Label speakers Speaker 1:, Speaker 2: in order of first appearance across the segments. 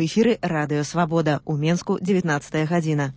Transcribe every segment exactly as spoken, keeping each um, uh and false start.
Speaker 1: У эфіры Радыё Свабода. У Менску дзевятнадцатая гадзіна.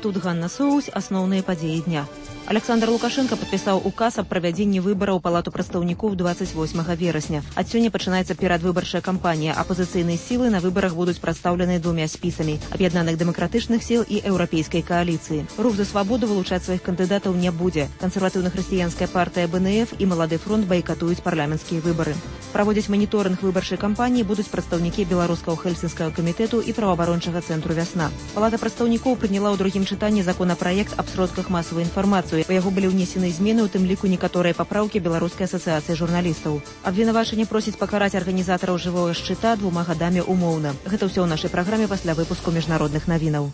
Speaker 1: Тут Ганна Соусь, асноўныя падзеі дня. Александр Лукашенко падпісаў указ аб правядзенні выбараў у палату прадстаўнікоў двадцать восьмага верасня. Ад сёння пачынаецца перадвыбарчая кампанія. Апазіцыйныя сілы на выбарах будуць прадстаўлены двумя спісамі аб'яднаных дэмакратычных сіл і еўрапейскай кааліцыі. Рух за свабоду вылучаць сваіх кандыдатаў не будзе. Кансерватыўна-хрысціянская партыя бэ эн эф і Малады фронт байкатуюць парламенцкія выбары. Праводзіць маніторынг выбарчай кампаніі будуць прадстаўнікі беларускага хельсінскага камітэту і праваабарончага цэнтру «Вясна». Палата прадстаўнікоў прыняла ў другім чытанні законапраект аб сродках масавай інфармацыі. Па яго былі ўнесены змены, у тым ліку некаторыя папраўкі Беларускай асацыяцыі журналістаў. Абвінавачанне просіць пакараць арганізатараў жывога шчыта двума гадамі умоўна. Гэта ўсё ў нашай праграме пасля выпуску міжнародных навінаў.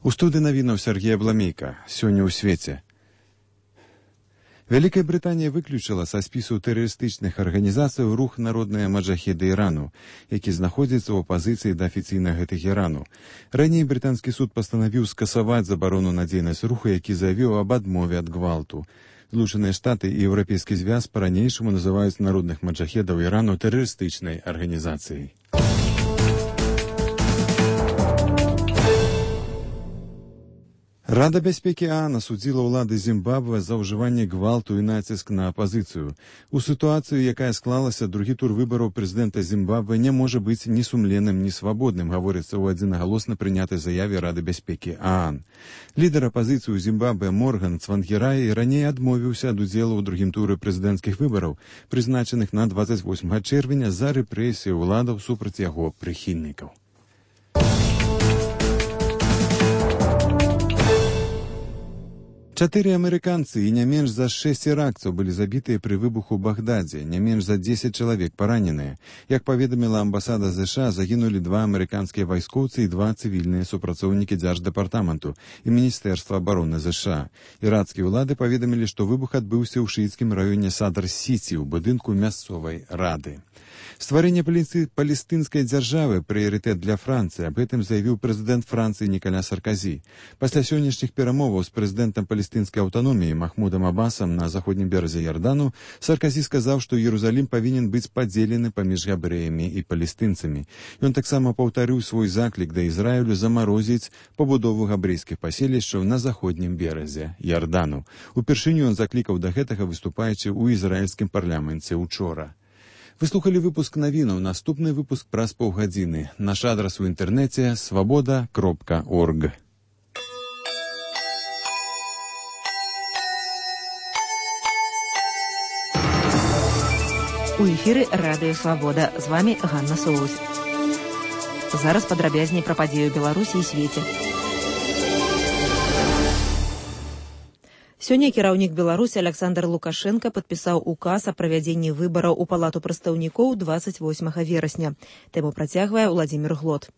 Speaker 2: У студыі навінаў Сергей Абламейка. Сёння ў свеце. Вялікая Брытанія выключыла са спісу тэрарыстычных арганізацый рух народныя маджахеды Ірану, які знаходзіцца ў апазіцыі да афіцыйнага Тэхерану. Раней брытанскі суд пастанавіў скасаваць забарону на дзейнасць руху, які заявіў аб адмове ад гвалту. Злучаныя Штаты і Еўрапейскі звяз па-ранейшаму называюць народных маджахедаў Ірану тэрарыстычнай арганізацыяй. Рада бяспекі ААН асудзіла ўлады Зімбабве за ўжыванне гвалту і націск на апазіцыю. У сітуацыю, якая склалася, другі тур выбараў прэзідэнта Зімбабве не можа быць ні сумленным, ні свабодным, гаворыцца ў адзінагалосна прынятай заяве Рады бяспекі ААН. Лідар апазіцыі ў Зімбабве Морган Цвангіраі раней адмовіўся ад удзелу ў другім туры прэзідэнцкіх выбараў, прызначаных на двадцать восьмага чэрвеня за рэпрэсіі ўладаў супраць яго прыхільнікаў. Чатыры амерыканцы і не менш за шэсць іракцаў былі забітыя пры выбуху ў Багдадзе, не менш за дзесяць чалавек параненыя. Як паведаміла амбасада ЗША, загінулі два амерыканскія вайскоўцы і два цывільныя супрацоўнікі дзярждэпартаменту і Міністэрства абароны ЗША. Іракскія ўлады паведамілі, што выбух адбыўся ў шыіцкім раёне Садр-Сіці ў будынку мясцовай рады. Стварэнне палестынскай дзяржавы прыярытэт для Францыі. Аб гэтым заявіў прэзідэнт Францыі Нікаля Сарказі. Пасля сённяшніх перамоваў з прэзідэнтам палестынскай аўтаноміі Махмудам Абасам на заходнім беразе Ярдану Сарказі сказаў, што Іерусалім павінен быць падзелены паміж габрэямі і палестынцамі. Ён таксама паўтарыў свой заклік да Ізраілю замарозіць пабудову габрэйскіх паселішчаў на заходнім беразе Ярдану. Упершыню ён заклікаў да гэтага, выступаючы ў ізраільскім парламенце учора. Вы слухали выпуск навінаў. Наступны выпуск праз паўгадзіны. Наш адрас у інтэрнэце свабода кропка орг.
Speaker 1: У эфіры Радыё Свабода. З вамі Ганна Соусь. Зараз падрабязней пра падзею Беларусі і свеце. Сёння кіраўнік Беларусі Александр Лукашенко падпісаў указ аб правядзенні выбараў у палату прадстаўнікоў двадцать восьмага верасня. Тэму працягвае Владзімір Глот.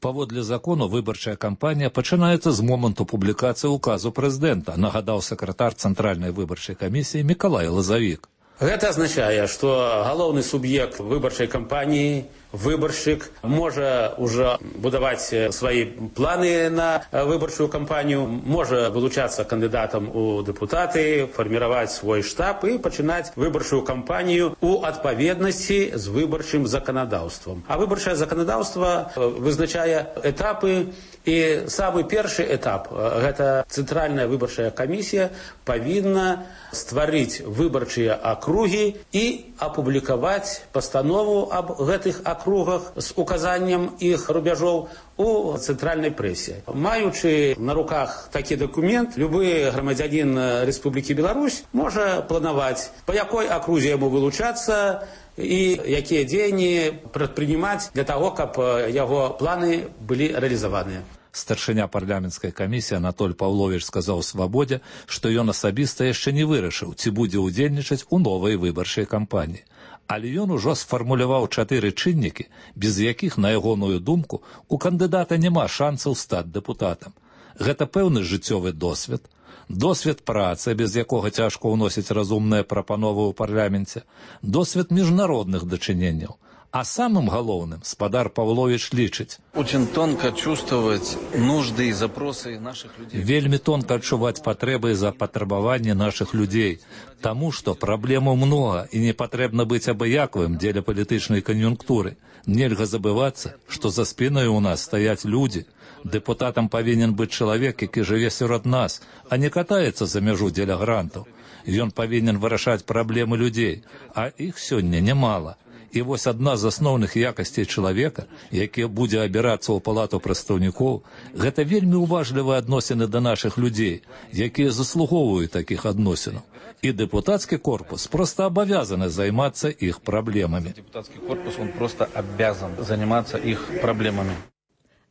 Speaker 3: Паводле закону выбарчая кампанія пачынаецца з моманту публікацыі указу прэзідэнта, нагадаў сакратар Цэнтральнай выбарчай камісіі Мікалай Лазавік.
Speaker 4: Гэта азначае, што галоўны суб'ект выбарчай кампаніі, выбаршчык, можа ўжо будаваць свае планы на выбарчую кампанію, можа вылучацца кандыдатам у дэпутаты, фарміраваць свой штаб і пачынаць выбарчую кампанію у адпаведнасці з выбарчым заканадаўствам. А выбарчае заканадаўства вызначае этапы, і самы першы этап, гэта Цэнтральная выбарчая камісія, павінна стварыць выбарчыя акругі і апублікаваць пастанову аб гэтых акругах з указаннем іх рубяжоў у цэнтральнай прэсе. Маючы на руках такі дакумент, любы грамадзянін Рэспублікі Беларусь можа планаваць, па якой акрузе яму вылучацца і якія дзеянні прадпрынимаць для таго, каб яго планы былі рэалізаваныя.
Speaker 3: Старшыня парламенцкай камісіі Анатоль Паўловіч сказаў «Свабодзе», што ён асабіста яшчэ не вырашыў, ці будзе ўдзельнічаць у новай выбарчай кампаніі. Але ён ужо сфармуляваў чатыры чыннікі, без якіх, на ягоную думку, у кандыдата няма шансаў стаць дэпутатам. Гэта пэўны жыццёвы досвед, досвед працы, без якога цяжка ўносіць разумныя прапановы ў парламенце, досвед міжнародных дачыненняў, А самым галоўным спадар Павлович лічыць:
Speaker 5: очень тонко чувствовать нужды и запросы наших людей.
Speaker 3: Вельмі тонка адчуваць патрэбы і запатрабаванні нашых людзей, таму што праблемаў многа і не патрэбна быць абыякавым дзеля палітычнай кан'юнктуры. Нельга забывацца, што за спінай у нас стаяць людзі. Дэпутатам павінен быць чалавек, які жыве сярод нас, а не катаецца за мяжу дзеля грантаў. Ён павінен вырашаць праблемы людзей, а іх сёння нямала. І вось адна з асноўных якасцей чалавека, які будзе абірацца ў палату прадстаўнікоў, гэта вельмі уважлівыя адносіны да нашых людзей, якія заслугоўваюць такіх адносінаў. І дэпутацкі корпус проста абавязаны займацца іх праблемамі.
Speaker 5: Депутатский корпус, он просто обязан заниматься их проблемами.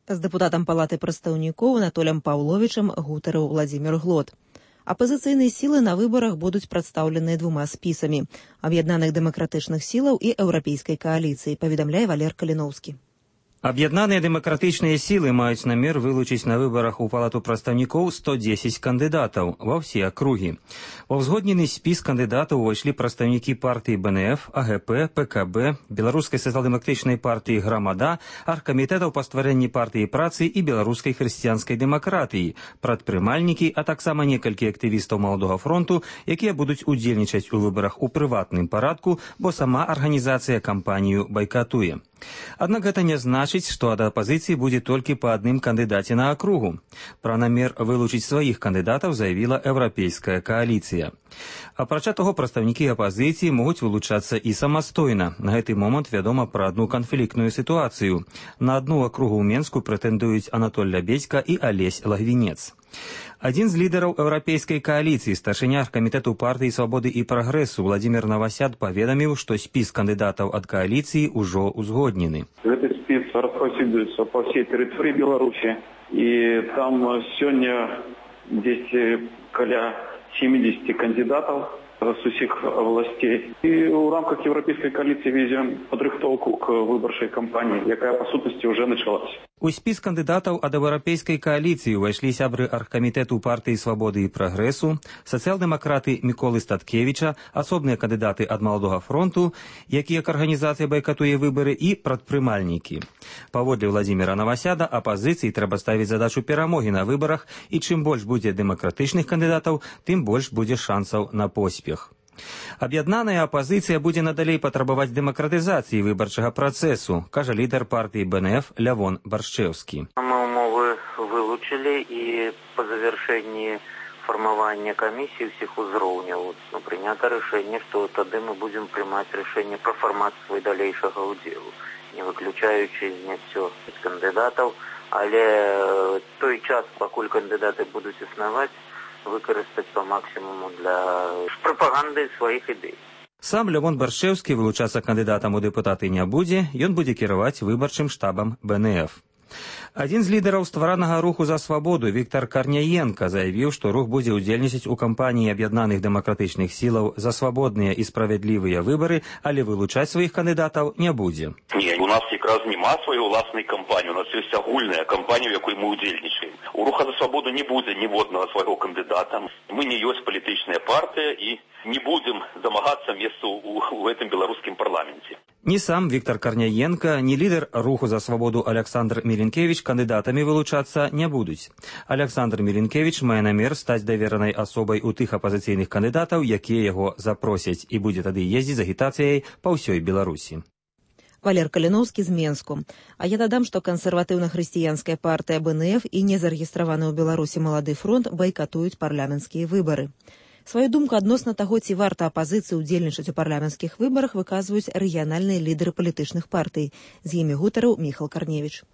Speaker 1: З дэпутатам палаты прадстаўнікоў Анатолем Паўловічам гутарыў Владзімір Глот. Апазіцыйныя сілы на выбарах будуць прадстаўленыя двума спісамі – аб'яднаных дэмакратычных сілаў і еўрапейскай кааліцыі, паведамляе Валер Каліноўскі.
Speaker 6: Аб'яднаныя дэмакратычныя сілы маюць намер вылучыць на выбарах у палату прадстаўнікоў сто дзесяць кандыдатаў ва ўсе акругі. Ва ўзгоднены спіс кандыдатаў увайшлі прадстаўнікі партыі бэ эн эф, а гэ пэ, пэ ка бэ, Беларускай сацыял-дэмакратычнай партыі «Грамада», аргкамітэтаў па стварэнні партыі працы і беларускай хрысціянскай дэмакратыі, прадпрымальнікі, а таксама некалькі актывістаў Маладога фронту, якія будуць удзельнічаць у выбарах у прыватным парадку, бо сама арганізацыя кампанію байкатуе. Аднак гэта не значыць, што ад апазіцыі будзе толькі па адным кандыдаце на акругу. Пра намер вылучыць сваіх кандыдатаў заявіла еўрапейская кааліцыя. Апрача таго, прадстаўнікі апазіцыі могуць вылучацца і самастойна. На гэты момант вядома пра адну канфліктную сітуацыю. На адну акругу ў Менску прэтэндуюць Анатоль Лябедзька і Алесь Лагвінец. Адзін з лідараў еўрапейскай кааліцыі, старшыня камітэту партыі свабоды і прагрэсу Владзімір Навасяд паведаміў, што спіс кандыдатаў ад кааліцыі ўжо узгоднены.
Speaker 7: Гэты спіс распаўсюджваецца па ўсей тэрыторыі Беларусі, і там сёння дзесьці каля сямдзесят кандидатов с усіх областей. И в рамках Европейской коалиции ведем подрыхтовку к выборчей кампании, якая по сутности уже началась.
Speaker 6: У спіс кандыдатаў ад еўрапейскай кааліцыі ўвайшлі сябры аргкамітэту партыі свабоды і прагрэсу, сацыял-дэмакраты Міколы Статкевіча, асобныя кандыдаты ад Маладога фронту, якія к арганізацыі байкатуе выбары, і прадпрымальнікі. Паводле Владзіміра Навасяда, апазіцыі трэба ставіць задачу перамогі на выбарах, і чым больш будзе дэмакратычных кандыдатаў, тым больш будзе шансаў на поспех. Аб'яднаная апазіцыя будзе надалей патрабаваць дэмакратызацыі выбарчага працэсу, кажа лідар партыі бэ эн эф Лявон Баршчэўскі.
Speaker 8: Мы умовы вылучылі, і па завяршэнні фармавання камісіі ўсіх узроўняў ну, прынята рашэнне, што тады мы будзем прымаць рашэнне пра фармат свой далейшага ўдзелу, не выключаючы зняццё кандыдатаў, але той час, пакуль кандыдаты будуць існаваць, выкарыстаць по максимуму для прапаганды сваіх ідэй.
Speaker 6: Сам Лявон Баршчэўскі вылучацца кандыдатам у дэпутаты не будзе, ён будзе кіраваць выбарчым штабам бэ эн эф. Адзін з лідараў стваранага руху за свабоду Віктор Карняенка заявіў, што рух будзе ўдзельнічаць у кампаніі аб'яднаных дэмакратычных сілаў за свабодныя і справядлівыя выбары, але вылучаць сваіх кандыдатаў не будзе.
Speaker 9: Не, у нас якраз нема сваёй уласнай кампаніі, у нас ёсць агульная кампанія, у якой мы ўдзельнічаем. У руха за свабоду не будзе ніводнага свайго кандыдата. Мы не ёсць палітычная партыя і не будзем дамагацца месца ў гэтым беларускім парламенце.
Speaker 6: Ні сам Віктор Карняенка, ні лідар руху за свабоду Александр Мілінкевіч кандыдатамі вылучацца не будуць. Александр Мілінкевіч мае намер стаць даверанай асобай у тых апазіцыйных кандыдатаў, якія яго запросяць, і будзе тады ездзіць з агітацыяй па ўсёй Беларусі.
Speaker 1: Валер Каліноўскі з Менску. А я дадам, што кансерватыўна-хрысціянская партыя бэ эн эф і незарэгістраваны ў Беларусі Малады фронт байкатуюць парламенцкія выбары. Сваю думку адносна таго, ці варта апазіцыі ўдзельнічаць у парламенцкіх выбарах, выказваюць рэгіянальныя лідары палітычных партый. З імі гутарыў Міхал Карневіч.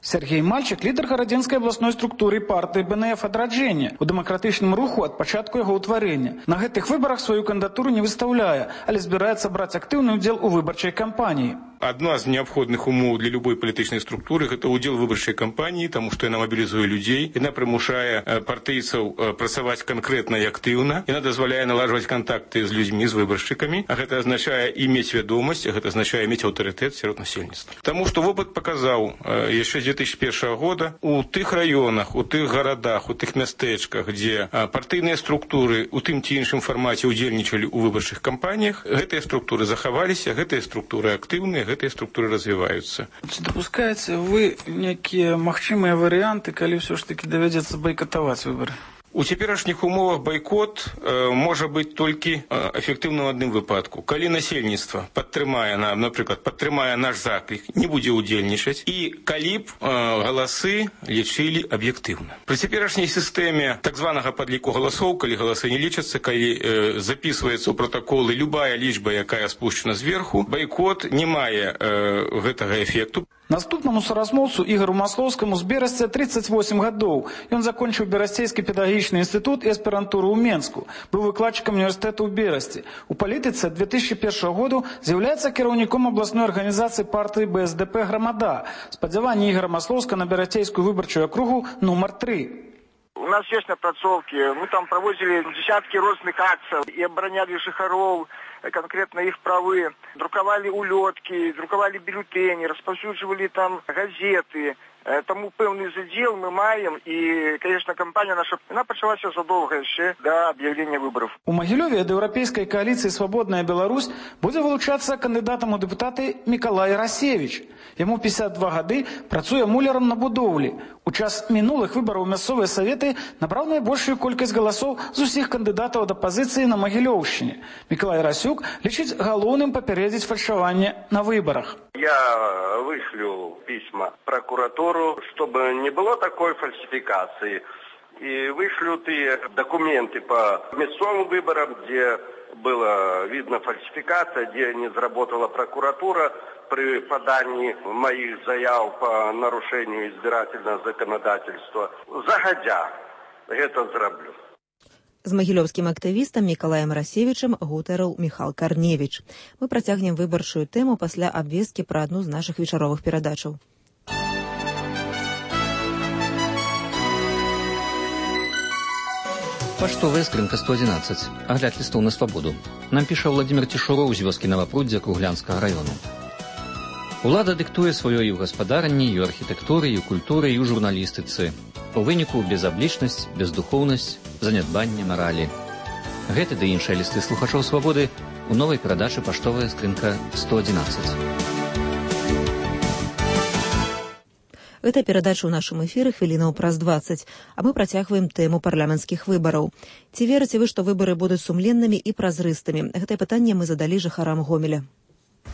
Speaker 10: Сергей Мальчик – лідар гарадзенскай абласной структуры партыі бэ эн эф «Адраджэнне» у дэмакратычным руху ад пачатку яго ўтварэння. На гэтых выбарах сваю кандыдатуру не выстаўляе, але збіраецца браць актыўны ўдзел у выбарчай кампаніі.
Speaker 11: Одна з неабходных умоў для любой палітычнай структуры – гэта ўдзел выбарчай кампаніі, таму што яна мабілізуе людзей, яна прымушае партыйцаў працаваць канкрэтна і актыўна, яна дазваляе наладжваць кантакты з людзьмі, з выбаршчыкамі, а гэта азначае і мець вядомасць, гэта азначае мець аўтарытэт сярод насельніцтва. Таму што вопыт паказаў яшчэ з две тысячи першага года у тых раёнах, у тых гарадах, у тых мястэчках, дзе партыйныя структуры у тым ці іншым фармаце ўдзельнічалі ў выбарчых кампаніях, гэтыя структуры захаваліся, гэтыя структуры актыўныя, гэтыя структуры развіваюцца.
Speaker 10: Ці дапускаеце вы некія магчымыя варыянты, калі ўсё ж такі давядзецца байкатаваць выбары?
Speaker 11: У цяперашніх умовах байкот э, можа быць толькі э, эфектыўным у адным выпадку. Калі насельніцтва падтрымае, на, напрыклад, падтрымае наш заклік, не будзе удзельнічаць, і калі б э, галасы лічылі аб'ектыўна. Пры цяперашняй сістэме так званага падліку галасоў, калі галасы не лічацца, калі э, записываецца ў пратаколы любая лічба, якая спушчана зверху, байкот не мае э, гэтага эфекту.
Speaker 10: Наступнаму соразмоўцу Ігору Маслоўскаму з Берасця тридцать восемь гадоў. Ён закончыў Берасцейскі педагагічны інстытут і аспірантуру ў Менску. Быў выкладчыкам універсітэту ў Берасці. У палітыцы ад две тысячи першага году з'яўляецца кіраўніком абласной арганізацыі партыі Бэ Эс Дэ Пэ «Грамада». Спадзяванні Ігора Маслоўска на Берасцейскую выбарчую акругу нумар три.
Speaker 12: У нас есть напрацоўкі. Мы там проводили десятки розных акций и обороняли жыхароў, конкретно их правы, друковали улетки, друковали бюллетени, распаўсюджвалі там газеты. Тому пэўны задзел мы маем, і, конечно, кампанія наша, она пачалася задолго яшчэ до объявления выборов.
Speaker 10: У Магілёве ад еўрапейскай кааліцыі «Свабодная Беларусь» будзе вылучацца кандыдатам у дэпутаты Мікалай Расевіч. Яму пятьдесят два гады, працуе мулярам на будоўлі. У час мінулых выбараў мясцовыя саветы набраў найбольшую колькасць галасоў з усіх кандыдатаў ад апазіцыі на Магілёўшчыне. Мікалай Расюк лічыць галоўным папярэдзіць фальшаванне на выбарах.
Speaker 13: Я вышлю письма прокуратуру, чтобы не было такой фальсификации. И вышлю те документы по местным выборам, где было видно фальсификация, где не заработала прокуратура при подании моих заяв по нарушению избирательного законодательства. Загодя это зроблю.
Speaker 1: З магілёўскім актывістам Мікалаем Расевічам гутарыў Міхал Карневіч. Мы працягнем выбарчую тэму пасля абвесткі пра адну з нашых вечаровых перадачаў.
Speaker 14: Паштовая скрынка сто одиннадцать. Агляд лістоў на свабоду. Нам піша Владимир Цішуроў з вёскі Новапруддзя Круглянскага раёну. Улада дыктуе сваё і ў гаспадарні, і ў архітэктуры, і ў культуры, і ў журналістыцы. У выніку безаблічнасць, бездухоўнасць, занядбанне маралі. Гэты ды іншыя лісты слухачоў свабоды у новай перадачы «Паштовая скрынка сто одиннадцать».
Speaker 1: Гэта перадача ў нашым эфіры хвілінаў праз дваццаць, а мы працягваем тэму парламенцкіх выбараў. Ці верыце вы, што выбары будуць сумленнымі і празрыстымі? Гэтае пытанне мы задалі жыхарам Гомеля.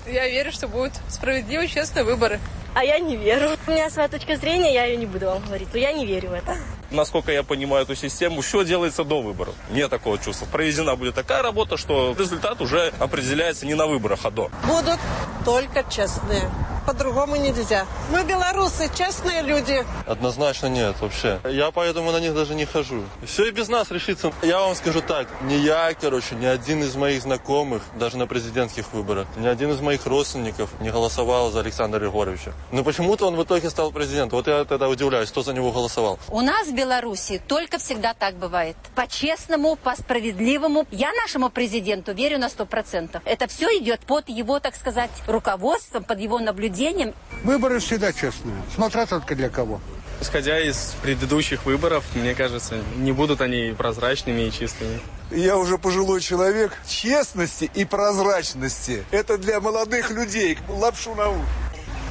Speaker 15: Я верю, что будут справедливые, честные выборы.
Speaker 16: А я не верю. У меня своя точка зрения, я ее не буду вам говорить, но я не верю в это.
Speaker 17: Насколько я понимаю эту систему, все делается до выборов. Нет такого чувства. Проведена будет такая работа, что результат уже определяется не на выборах, а до.
Speaker 18: Будут только честные. По-другому нельзя. Мы белорусы, честные люди.
Speaker 19: Однозначно нет, вообще. Я поэтому на них даже не хожу. Все и без нас решится. Я вам скажу так, ни я, короче, ни один из моих знакомых, даже на президентских выборах, ни один из моих родственников не голосовал за Александра Григорьевича. Но почему-то он в итоге стал президентом. Вот я тогда удивляюсь, кто за него голосовал.
Speaker 20: У нас в Беларуси только всегда так бывает. По-честному, по-справедливому. Я нашему президенту верю на сто процентов. Это все идет под его, так сказать, руководством, под его наблюдением.
Speaker 21: Выборы всегда честные, смотря только для кого.
Speaker 22: Исходя из предыдущих выборов, мне кажется, не будут они прозрачными и чистыми.
Speaker 23: Я уже пожилой человек. Честности и прозрачности – это для молодых людей. Лапшу на уши.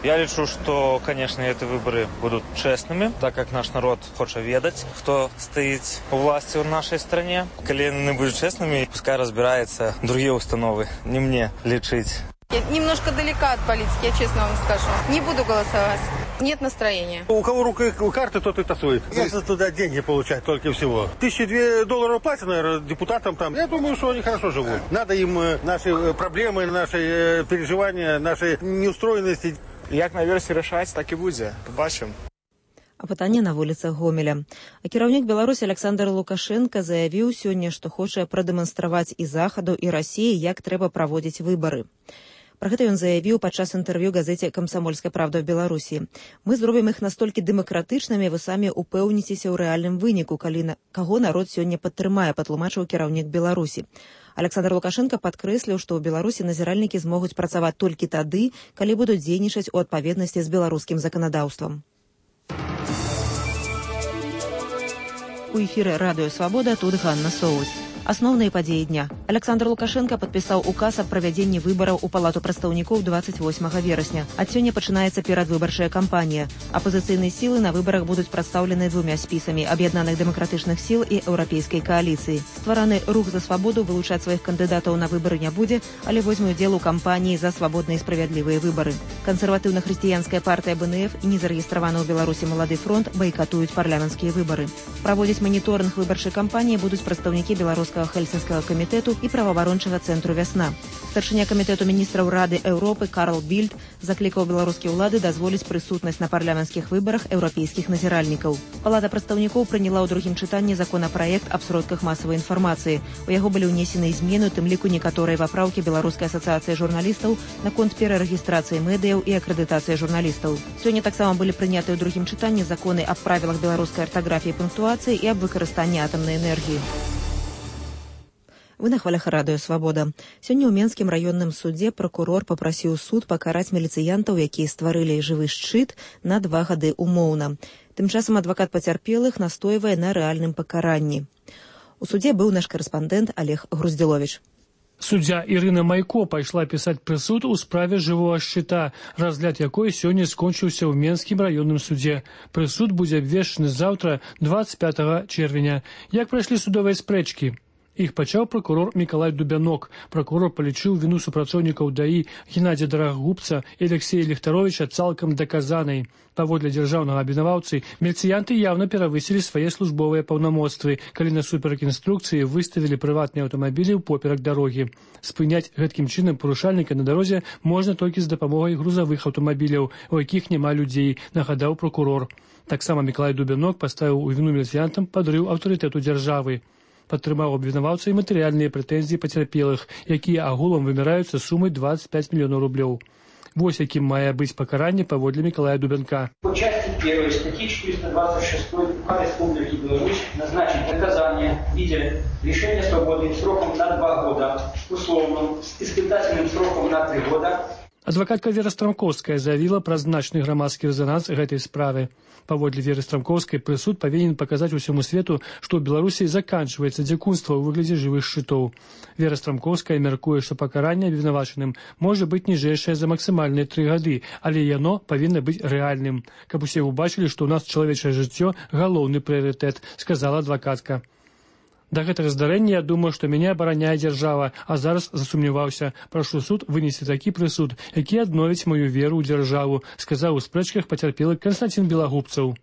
Speaker 24: Я лічу, што, конечно, эти выборы будут честными, так как наш народ хочет ведать, кто стоит у власти в нашей стране. Коли они будут честными, пускай разбираются другие установы, не мне лечить.
Speaker 15: Я немножко далека от политики, я честно вам скажу. Не буду голосовать. Нет настроения.
Speaker 21: У кого рука карты, тот и тасует. Если туда деньги получать только всего. Тысячи две долларов платят, наверное, депутатам там. Я думаю, что они хорошо живут. Надо им наши проблемы, наши переживания, наши неустроенности.
Speaker 22: Як наверсе решать, так и будет. Побачим.
Speaker 1: А пытанне на вуліцах Гомеля. А кіраўнік Беларусі Александр Лукашенко заявіў сёння, што хоча прадэманстраваць і Захаду, і Расіі, як трэба праводзіць выбары. Пра гэта ён заявіў падчас інтэрв'ю газеце «Камсамольская правда» в Беларусі. Мы зробім іх настолькі дэмакратычнымі, вы самі упэўніцеся ў рэальным выніку, калі на... каго народ сёння падтрымае, патлумачыў кіраўнік Беларусі. Александр Лукашенко падкрэсліў, што ў Беларусі назіральнікі змогуць працаваць толькі тады, калі будуць дзейнічаць у адпаведнасці з беларускім заканадаўствам. У эфіры радыё «Свабода», тут Ганна Соус. Асноўныя падзеі дня. Александр Лукашенко падпісаў указ аб правядзенні выбараў у палату прадстаўнікоў двадцать восьмага верасня. Ад сёння пачынаецца перадвыбарчая кампанія. Апозіцыйныя сілы на выбарах будуць прадстаўлены двумя спісамі аб'яднаных дэмакратычных сіл і еўрапейскай кааліцыі. Ствараны рух за свабоду вылучаць сваіх кандыдатаў на выбары не будзе, але возьме ўдзел у кампаніі за свабодныя і справядлівыя выбары. Кансерватыўна-хрысціянская партыя бэ эн эф і незарэгістраваны ў Беларусі «Малады фронт» байкатуюць парламенцкія выбары. Праводзіць маніторынг выбарчай кампаніі будуць прадстаўнікі беларускага Хельсінскага камітэту і праваабарончага цэнтру «Вясна». Старшыня камітэту міністраў Рады Еўропы Карл Більд заклікаў беларускія ўлады дазволіць прысутнасць на парламенцкіх выбарах еўрапейскіх назіральнікаў. Палата прадстаўнікоў прыняла ў другім чытанні законапраект аб сродках масавай інфармацыі. У яго былі ўнесены змены, у тым ліку некаторыя папраўкі Беларускай асацыяцыі журналістаў наконт перарэгістрацыі медыяў і акрэдытацыі журналістаў. Сёння таксама былі прынятыя ў другім чытанні законы аб правілах беларускай артаграфіі і пунктуацыі і аб выкарыстанні атамнай энергіі. Вы на хвалях радыё «Свабода». Сёння ў Менскім раённым судзе пракурор папрасіў суд пакараць міліцыянтаў, якія стварылі жывы шчыт, на два гады умоўна. Тым часам адвакат пацярпелых настойвае на рэальным пакаранні. У судзе быў наш карэспандэнт Олег Груздзіловіч.
Speaker 2: Суддзя Ірына Майко пайшла пісаць прысуд у справе жывога шчыта, разгляд якой сёння скончыўся ў Менскім раённым судзе. Прысуд будзе абвешчаны заўтра, двадцать пятага чэрвеня. Як прайшлі судовыя спрэчкі? Іх пачаў пракурор Мікалай Дубянок. Пракурор палічыў віну супрацоўнікаў ДАІ Геннадзя Дарагубца і Алексея Ліхтаровіча цалкам даказанай. Паводле дзяржаўнага абвінаваўцы, міліцыянты яўна перавысілі свае службовыя паўнамоцтвы, калі насуперак інструкцыі выставілі прыватныя аўтамабілі ўпоперак дарогі. Спыняць гэткім чынам парушальніка на дарозе можна толькі з дапамогай грузавых аўтамабіляў, у якіх няма людзей, нагадаў пракурор. Таксама Мікалай Дубянок паставіў у віну міліцыянтам падрыў аўтарытэту дзяржавы. Падтрымаў абвінаваўца і матэрыяльныя прэтэнзіі пацярпелых, якія агулам вымяраюцца сумай двадцать пять миллионов рублёў. Вось якім мае быць пакаранне паводле Мікалая Дубянка.
Speaker 3: По части первой статьи четыреста двадцать шесть УК Республики Беларусь назначить наказание в виде лишения свободы сроком на два года, условным, с испытательным сроком на три года.
Speaker 2: Адвакатка Вера Страмковская заявіла пра значны грамадскі рэзананс гэтай справы. Паводле Веры Страмковскай прысуд павінен паказаць усяму свету, што ў Беларусі заканчваецца дзікунства ў выглядзе жывых шчытоў. Вера Страмковская мяркуе, што пакаранне абвінавачаным можа быць ніжэйшае за максімальныя тры гады, але яно павінна быць рэальным, каб усе ўбачылі, што ў нас чалавечае жыццё галоўны прыярытэт, сказала адвакатка. Да гэтага здарэння я думаю, што мяне абараняе дзяржава, а зараз засумняваўся. Прашу суд вынесці такі прысуд, які адновіць маю веру ў дзяржаву, сказаў у спрэчках пацярпелы Канстанцін Белагубцаў.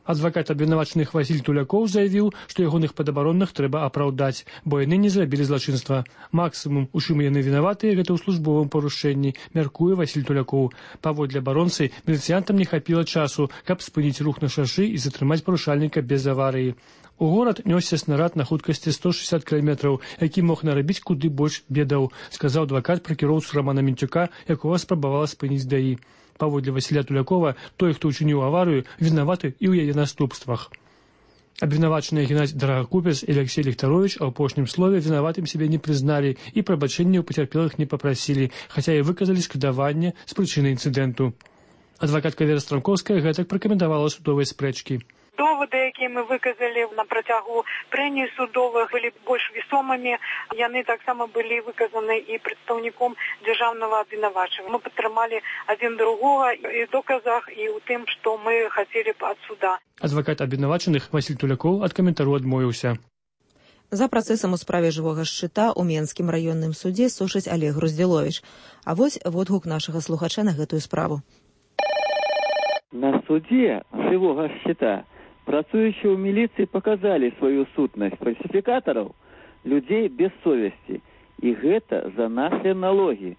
Speaker 2: Адвакат абвінавачаных Васіль Тулякоў заявіў, што ягоных падабаронных трэба апраўдаць, бо яны не зрабілі злачынства. Максімум, у чым яны вінаватыя, гэта ў службовым парушэнні, мяркуе Васіль Тулякоў. Паводле абаронцы, міліцыянтам не хапіла часу, каб спыніць рух на шашы і затрымаць парушальніка без аварыі. У горад нёсся снарад на хуткасці сто шестьдесят кіламетраў, які мог нарабіць куды больш бедаў, сказаў адвакат пра кіроўцу Романа Мінчука, якога спрабавала спыніць ДАІ. Паводле Васіля Тулякова, той, хто ўчыніў аварыю, вінаваты і ў яе наступствах. Абвінавачаныя Геннадзь Дарагубец і Алексей Ліхтарович у апошнім слове вінаватым сябе не прызналі і прабачэння ў пацярпелых не папрасілі, хаця і выказалі шкадаванне з прычыны інцыдэнту. Адвакатка Вера Страмковская гэтак пракаментавала судовыя спрэчкі.
Speaker 4: Доводы, якія мы выказалі на працягу прэній судовых, былі больш весомымі. Яны таксама былі выказаны і прадстаўніком дзяржаўнага абвінавачання. Мы падтрымалі адзін другога і ў доказах, і ў тым, што мы хацелі б ад суда.
Speaker 2: Адвакат абвінавачаных Васіль Тулякоў ад каментару адмовіўся.
Speaker 1: За працэсам у справе жывога шчыта ў Менскім раённым судзе сушыць Олег Груздзіловіч. А вось водгук нашага слухача на гэтую справу.
Speaker 5: На суде жывога шчыта працуючыя ў міліцыі паказалі сваю сутнасць фальсіфікатараў, людзей без совесці. І гэта за нашыя налогі.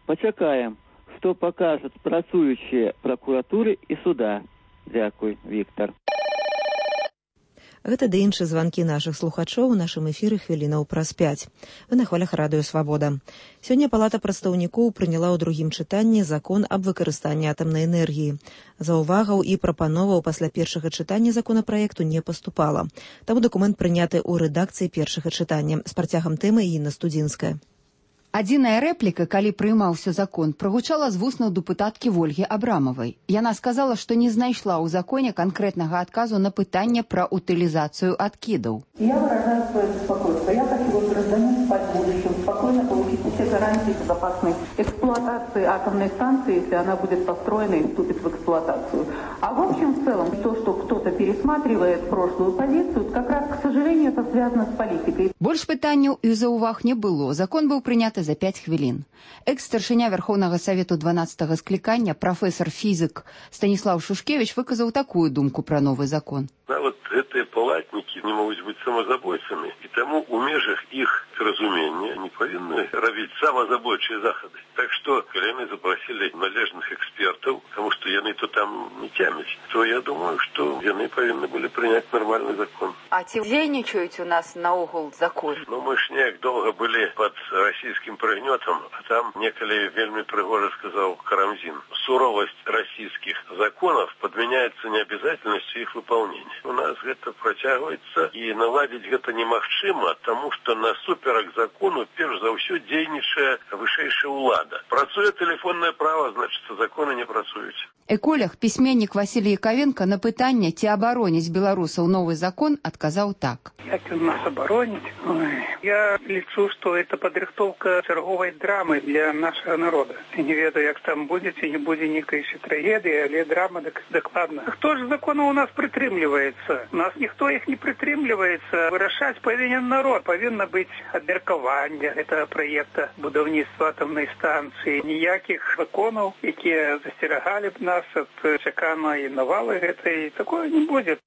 Speaker 5: Пачакаем, што пакажуць працуючыя пракуратуры і суда. Дзякуй, Віктор.
Speaker 1: Гэта ды іншыя званкі нашых слухачоў у нашым эфіры хвілінаў праз пяць. Вы на хвалях радыё «Свабода». Сёння Палата прадстаўнікоў прыняла ў другім чытанні закон аб выкарыстанні атамнай энергіі. Заўвагаў і прапановаў пасля першага чытання законапраекту не паступала. Таму дакумент прыняты ў рэдакцыі першага чытання. З працягам тэмы Інна Студзінская.
Speaker 6: Адзіная рэпліка, калі прыймаўся закон, прагучала з вуснаў дэпутаткі Вольгі Абрамавай. Яна сказала, што не знайшла ў законе канкрэтнага адказу на пытанне пра утылізацыю адкідаў.
Speaker 7: Я выражаю свое беспокойство. Я хочу вот гражданин спать в будущем, спокойно получить все гарантии безопасной эксплуатации атомной станции, если она будет построена и вступит в эксплуатацию. А в общем, в целом, то, что кто-то пересматривает прошлую позицию, как раз, к сожалению, это связано с политикой.
Speaker 6: Больш пытанняў і заўваг не было. Закон быў прыняты за пять хвілін. Экс-старшыня Верховнага Савету дванаццатага склікання, прафесор-фізик Станіслав Шушкевич выказаў такую думку пра новы закон.
Speaker 8: Нават гэтыя палатнікі не могуць быць самазабойцамі, і таму у межах іх разумення не павінны рабіць самазабойчыя захады. Так што, калі яны запрасілі належных экспертаў, таму што яны то там не цямяць, то я думаю, што яны павінны былі прыняць нармальны закон.
Speaker 9: А ці дзейнічаюць у нас наогул закон?
Speaker 8: Ну, мы ж неяк доўга былі пад расійскім прыгнётам, а там некалі вельмі прыгожа сказаў Карамзін. Суровасць расійскіх законов подменяется необязательностью их выполнения. У нас гэта працягваецца, і наладзіць гэта немагчыма, таму што насуперак закону перш за ўсё дзейнічае вышэйшая ўлада. Працуе тэлефоннае права, значыць, законы не працуюць.
Speaker 6: Эколог, пісьменнік Васілій Яковенко на пытанне, ці абароніць беларусаў новы закон, адказаў так.
Speaker 25: Як ён нас абароніць? Я лічу, што это падрыхтоўка чарговай драмы для нашага народа. Не ведаю, як там будзе, ці не будзе нейкай трагедыі, але драма дакладна. Хто ж законаў у нас прытрымліваецца? У нас ніхто іх не прытрымліваецца. Вырашаць павінен народ. Павінна быць абмеркаванне гэтага праекта будаўніцтва атамнай станцыі. Ніякіх законаў, якія засцерагалі б нас ад чаканай навалы гэтай, такое не будзе.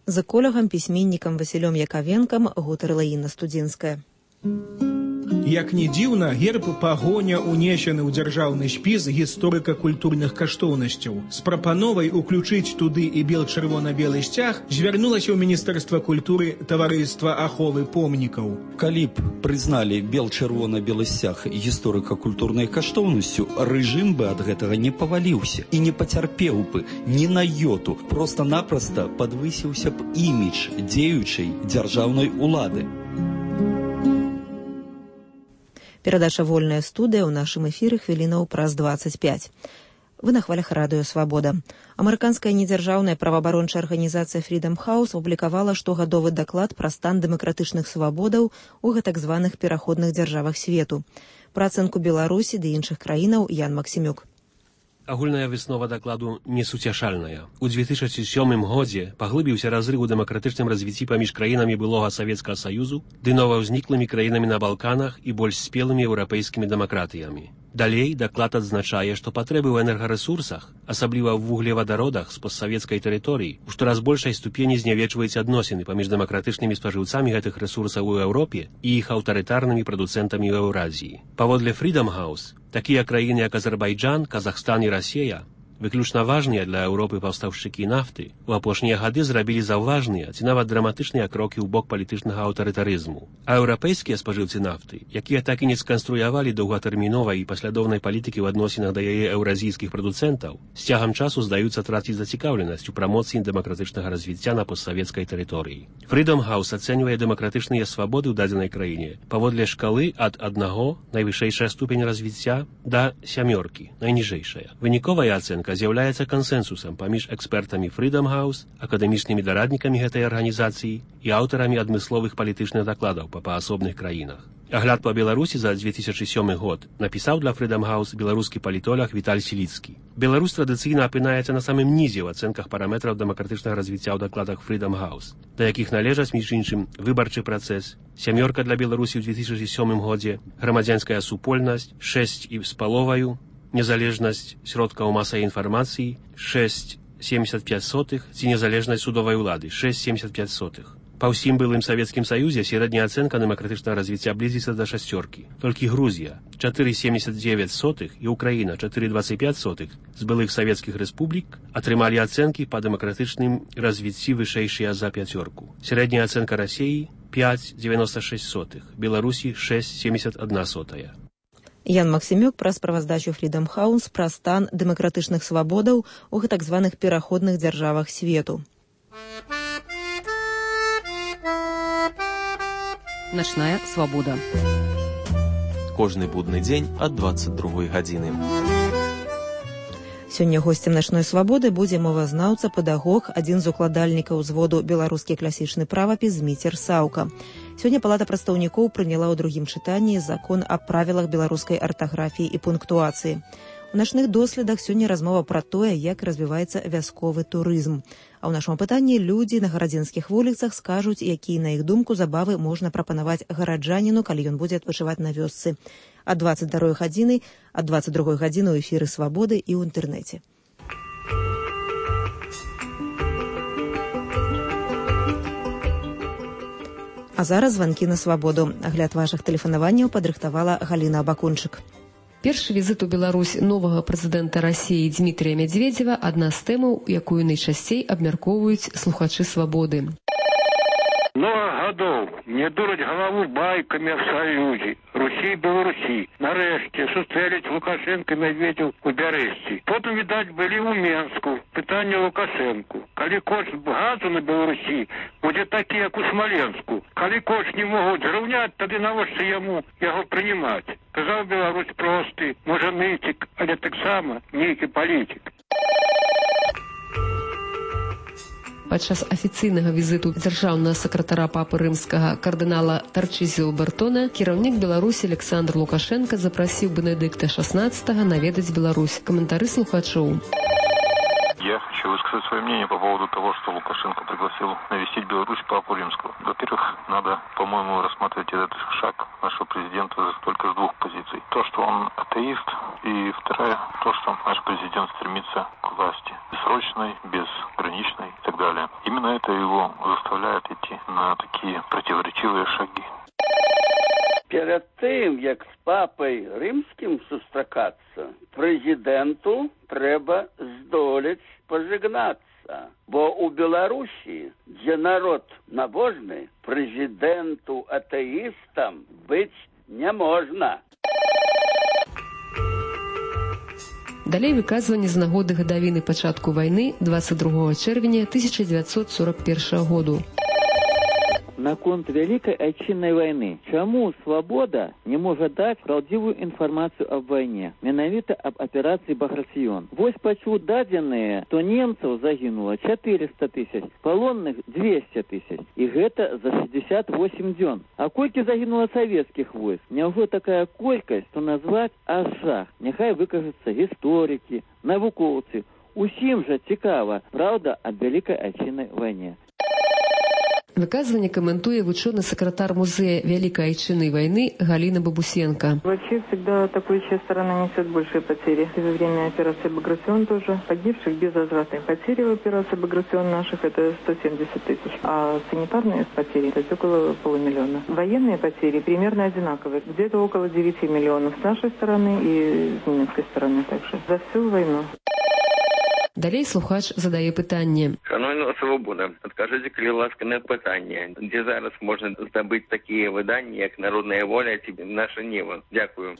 Speaker 1: З эколагам, пісьменнікам Васілём Яковенкам гутарыла Інна Студзінская.
Speaker 26: Як не дзіўна, герб пагоня унесены ў дзяржаўны спіс гісторыка-культурных каштоўнасцяў. З прапановай уключыць туды і бел-чырвона-белы сцяг звярнулася ў Міністэрства культуры таварыства аховы помнікаў.
Speaker 27: Калі б прызналі бел-чырвона-белы сцяг гісторыка-культурнай каштоўнасцю, рэжым бы ад гэтага не паваліўся і не пацярпеў бы ні на йоту. Проста-напроста падвысіўся б імідж дзеючай дзяржаўнай улады.
Speaker 1: Перадача «Вольная студыя» ў нашым эфіры хвілінаў праз дваццаць пяць. Вы на хвалях радыё «Свабода». Амерыканская недзяржаўная праваабарончая арганізацыя Freedom House апублікавала штогадовы даклад пра стан дэмакратычных свабодаў у гэтак званых пераходных дзяржавах свету. Пра ацэнку Беларусі ды іншых краінаў Ян Максімюк.
Speaker 28: Агульная выснова дакладу несуцяшальная. У две тысячи сёмым годзе паглыбіўся разрыв у дэмакратычным развіцці паміж краінамі былога Савецкага Саюзу ды новаўзніклымі краінамі на Балканах і больш спелымі еўрапейскімі дэмакратыямі. Далей даклад адзначае, што патрэбы ў энергарэсурсах, асабліва ў вуглевадародах з постсавецкай тэрыторыі, у штораз большай ступені знявечваюць адносіны паміж дэмакратычнымі спажыўцамі гэтых рэсурсаў у Еўропе і іх аўтарытарнымі прадуцэнтамі ў Еўразіі. Паводле Freedom House, такія краіны як Азербайджан, Казахстан і Расія выключна важныя для Еўропы паўстаўшчыкі нафты у апошнія гады зрабілі заўважныя ці нават драматычныя крокі ў бок палітычнага аўтарытарызму. А еўрапейскія спажыўцы нафты, якія так і не сканструявалі доўгатэрміновай і паслядоўнай палітыкі ў адносінах да яе еўразійскіх прадуцэнтаў, з цягам часу здаюцца траціць зацікаўленасць у прамоцыі дэмакратычнага развіцця на постсавецкай тэрыторыі. Freedom House ацэньвае дэмакратычныя свабоды ў дадзенай краіне паводле шкалы ад аднаго, найвышэйшая ступень развіцця, да сямёркі, найніжэйшая. Выніковая ацэнка з'яўляецца кансэнсусам паміж экспертамі Freedom House, акадэмічнымі дараднікамі гэтай арганізацыі і аўтарамі адмысловых палітычных дакладаў па паасобных краінах. Агляд па Беларусі за две тысячи сёмы год напісаў для Freedom House беларускі палітолог Віталь Сіліцкі. Беларусь традыцыйна апынаецца на самым нізе ў ацэнках параметраў дэмакратычнага развіцця ў дакладах Freedom House, да якіх належаць, між іншым, выбарчы працэс, сямёрка для Беларусі ў две тысячи сёмым годзе, грамадзянская супольнасць, шэсць і з паловаю, незалежнасць сродкаў масавай інфармацыі шэсць семдзесят пяць сотых ці незалежнасць судовай улады шэсць семдзесят пяць сотых. Па ўсім былым Савецкім Саюзе сярэдняя ацэнка дэмакратычнага развіцця блізіцца да шасцёркі. Толькі Грузія чатыры семдзесят дзевяць сотых і Украіна чатыры дваццаць пяць сотых з былых савецкіх рэспублік атрымалі ацэнкі па дэмакратычным развіцці вышэйшыя за пяцёрку. Сярэдняя ацэнка Расіі пяць дзевяносто шэсць сотых, Беларусі шэсць семдзесят адна сотая.
Speaker 1: Ян Максімюк пра справаздачу Freedom House пра стан дэмакратычных свабодаў у гэтак званых пераходных дзяржавах свету.
Speaker 29: Начная свобода.
Speaker 10: кожны будны дзень ад дваццаць другой гадзіны.
Speaker 1: Сёння госцем начной свабоды будзе мовазнаўца, педагог, адзін з укладальнікаў узводу беларускі класічны правапіс Зміцер Саўка. Сёння Палата прадстаўнікоў прыняла ў другім чытанні закон аб правілах беларускай артаграфіі і пунктуацыі. У начных доследах сёння размова пра тое, як развіваецца вясковы турызм. А ў нашым пытанні людзі на гарадзенскіх вуліцах скажуць, якія, на іх думку, забавы можна прапанаваць гараджаніну, калі ён будзе адпачываць на вёсцы. Ад дваццаць другой гадзіны, ад дваццаць другой гадзіны ў эфіры Свабоды і ў інтэрнэце. А зараз званкі на свабоду. Агляд вашых тэлефанаванняў падрыхтавала Галіна Абакунчык.
Speaker 11: Першы візит у Беларусь новага прэзідэнта Расіі Дмітрія Мядзведзева – адна з тэмаў, якую найчасцей абмяркоўваюць слухачы свабоды.
Speaker 12: Много гадоў мне дураць галаву байкамі аб саюзе Русі і Беларусі. Нарэшце сустрэліць Лукашенко і Мядзведзеў у Бярэсці. Потым, відаць, былі ў Менску. Пытанне Лукашенку. Калі кошт газу на Беларусі будзе такі, як у Смаленску. Калі кошт не могуць зраўняць, тады навошта яму яго прынимаць? Казаў Беларусь просты, можа нытик, але таксама нейкі палітик.
Speaker 11: Падчас афіцыйнага візіту дзяржаўнага сакратара папы рымскага кардынала Тарчызіо Бертона кіраўнік Беларусі Александр Лукашенко запрасіў Бенедыкта шестнадцатого наведаць Беларусь. Каментары слухачоў.
Speaker 13: Я хочу высказать свое мнение по поводу того, что Лукашенко пригласил навестить Беларусь папу римского. Во-первых, надо, по-моему, рассматривать этот шаг нашего президента только с двух позиций. То, что он атеист, и вторая, то, что наш президент стремится к власти. Бессрочной, безграничной и так далее. Именно это его заставляет идти на такие противоречивые шаги.
Speaker 5: Перед тым, як з папай рымскім сустракацца, прэзідэнту трэба здолець пажыгнацца. Бо ў Беларусі, дзе народ набожны, прэзідэнту атэістам быць не можна.
Speaker 11: Далей выказванне з нагоды гадавіны пачатку вайны дваццаць другога чэрвеня тысяча дзевяцьсот сорок першага году.
Speaker 5: Наконт Вялікай Айчыннай вайны. Чаму свабода не можа даць праўдзівую інфармацыю аб вайне, менавіта аб аперацыі Баграцыён? Вось пачуў дадзеныя, што немцаў загінула чатырыста тысяч, палонных дзвесце тысяч. І гэта за шэсцьдзесят восем дзён. А колькі загінула савецкіх войск? Няўжо такая колькасць, што назваць аж жах? Няхай выкажуцца гісторыкі, навукоўцы. Усім жа цікава праўда аб Вялікай Айчыннай вайне.
Speaker 11: Выказывание комментует ученый секретарь музея Великой Айчинной войны Галина Бабусенко.
Speaker 14: Вообще всегда атакующая сторона несет большие потери. И во время операции «Баграцыён» тоже погибших безвозвратные потери в операции «Баграцыён» наших это сто семьдесят тысяч. А санитарные потери это около полумиллиона. Военные потери примерно одинаковые. Где-то около девяти миллионов с нашей стороны и с немецкой стороны также. За всю войну.
Speaker 11: Далей слухач задае пытанне.
Speaker 16: Шановна свобода, адкажыце, калі ласка, на пытанне, дзе зараз можна здабыць такія выданні, як «Народная воля» ці «Наша неба». Дякую.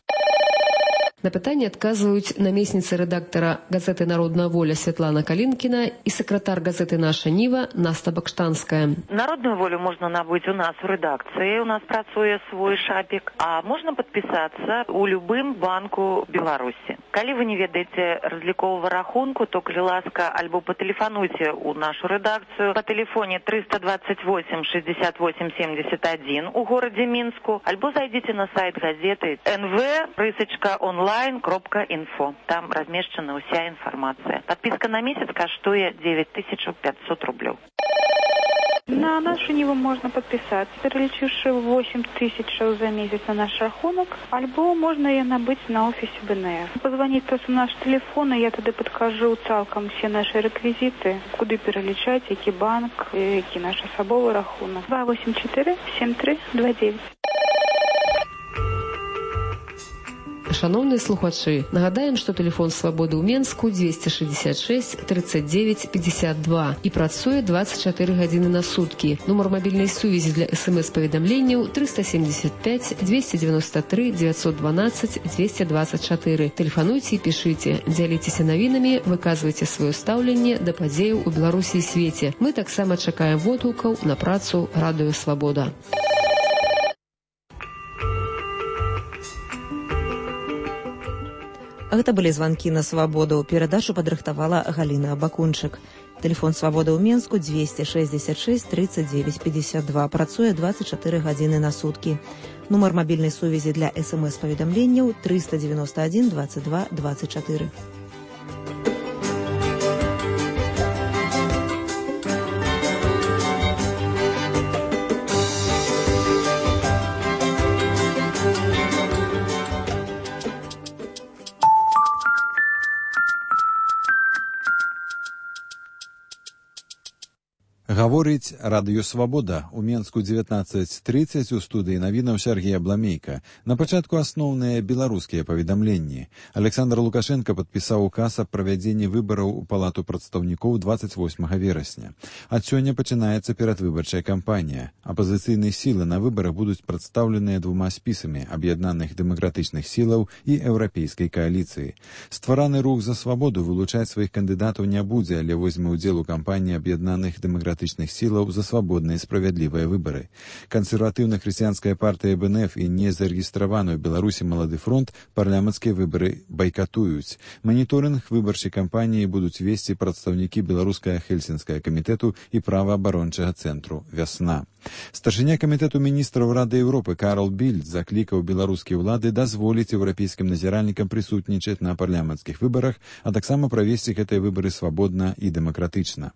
Speaker 11: На пытанне адказваюць намесніца рэдактара газеты «Народная воля» Святлана Калінкіна і сакратар газеты «Наша Ніва» Наста Бакштанская.
Speaker 17: Народную волю можно набыть у нас в редакции, у нас працуе свой шапик, а можно подписаться у любым банку Беларуси. Калі вы не ведаеце разлікового рахунку, то, калі ласка, альбо патэлефануйце у нашу редакцию по телефоне триста двадцать восемь шестьдесят восемь семьдесят один у городе Минску, альбо зайдите на сайт газеты эн вэ рысачка онлайн кропка инфо. Там размешчана уся информация. Подписка на месяц каштуе девять тысяч пятьсот рублей.
Speaker 4: На нашу Ниву можно подписаться, перелічивши восемь тысяч за месяц на наш рахунок, альбо можно ее набыть на офисе бэ эн эф. Позвонить просто на наш телефон, и я тогда подкажу цалком все наши реквизиты, куды перелічаць, які банк, які наш асабовы рахунок. два восемь четыре семь три два девять.
Speaker 11: Шановныя слухачы, нагадаем, што тэлефон свабоды ў Менску двести шестьдесят шесть тридцать девять пятьдесят два і працуе двадцать четыре гадзіны на суткі. Нумар мабільнай сувязі для смс-паведамленняў триста семьдесят пять двести девяносто три девятьсот двенадцать двести двадцать четыре. Тэлефануйце і пішыце, дзяліцеся навінамі, выказвайце сваё стаўленне да падзеяў у Беларусі і свеце. Мы таксама чакаем водгукаў на працу Радыё Свабода.
Speaker 1: Гэта былі званкі на свабоду. Перадачу падрыхтавала Галіна Бакунчык. Тэлефон свабоды ў Менску двести шестьдесят шесть тридцать девять пятьдесят два. Працуе двадцать четыре гадзіны на суткі. Нумар мабільнай сувязі для эс эм эс-паведамленняў триста девяносто один двадцать два двадцать четыре.
Speaker 15: Гаворыць радыё «Свабода». У Менску дзевятнаццаць трыццаць, у студыі навінаў Сергей Абламейка. На пачатку асноўныя беларускія паведамленні. Александр Лукашенко падпісаў указ аб правядзенні выбараў у Палату прадстаўнікоў двадцать восьмага верасня. Ад сёння пачынаецца перадвыбарчая кампанія. Апазіцыйныя сілы на выбарах будуць прадстаўленыя двума спісамі аб'яднаных дэмакратычных сілаў і еўрапейскай кааліцыі. Ствараны рух за свабоду вылучаць сваіх кандыдатаў не будзе, але возьме ўдзел у кампаніі аб'яднаных дэмакратычных сілаў за свабодныя і справядлівыя выбары. Кансерватыўна-хрысціянская партыя бэ эн эф і незарэгістраваны ў Беларусі «Малады фронт» парламенцкія выбары байкатуюць. Маніторынг выбарчай кампаніі будуць весці прадстаўнікі беларускага хельсінскага камітэту і праваабарончага цэнтру «Вясна». Старшыня камітэту міністраў Рады Еўропы Карл Більд заклікаў беларускія ўлады дазволіць еўрапейскім назіральнікам прысутнічаць на парламенцкіх выбарах, а таксама правесці гэтыя выбары свабодна і дэмакратычна.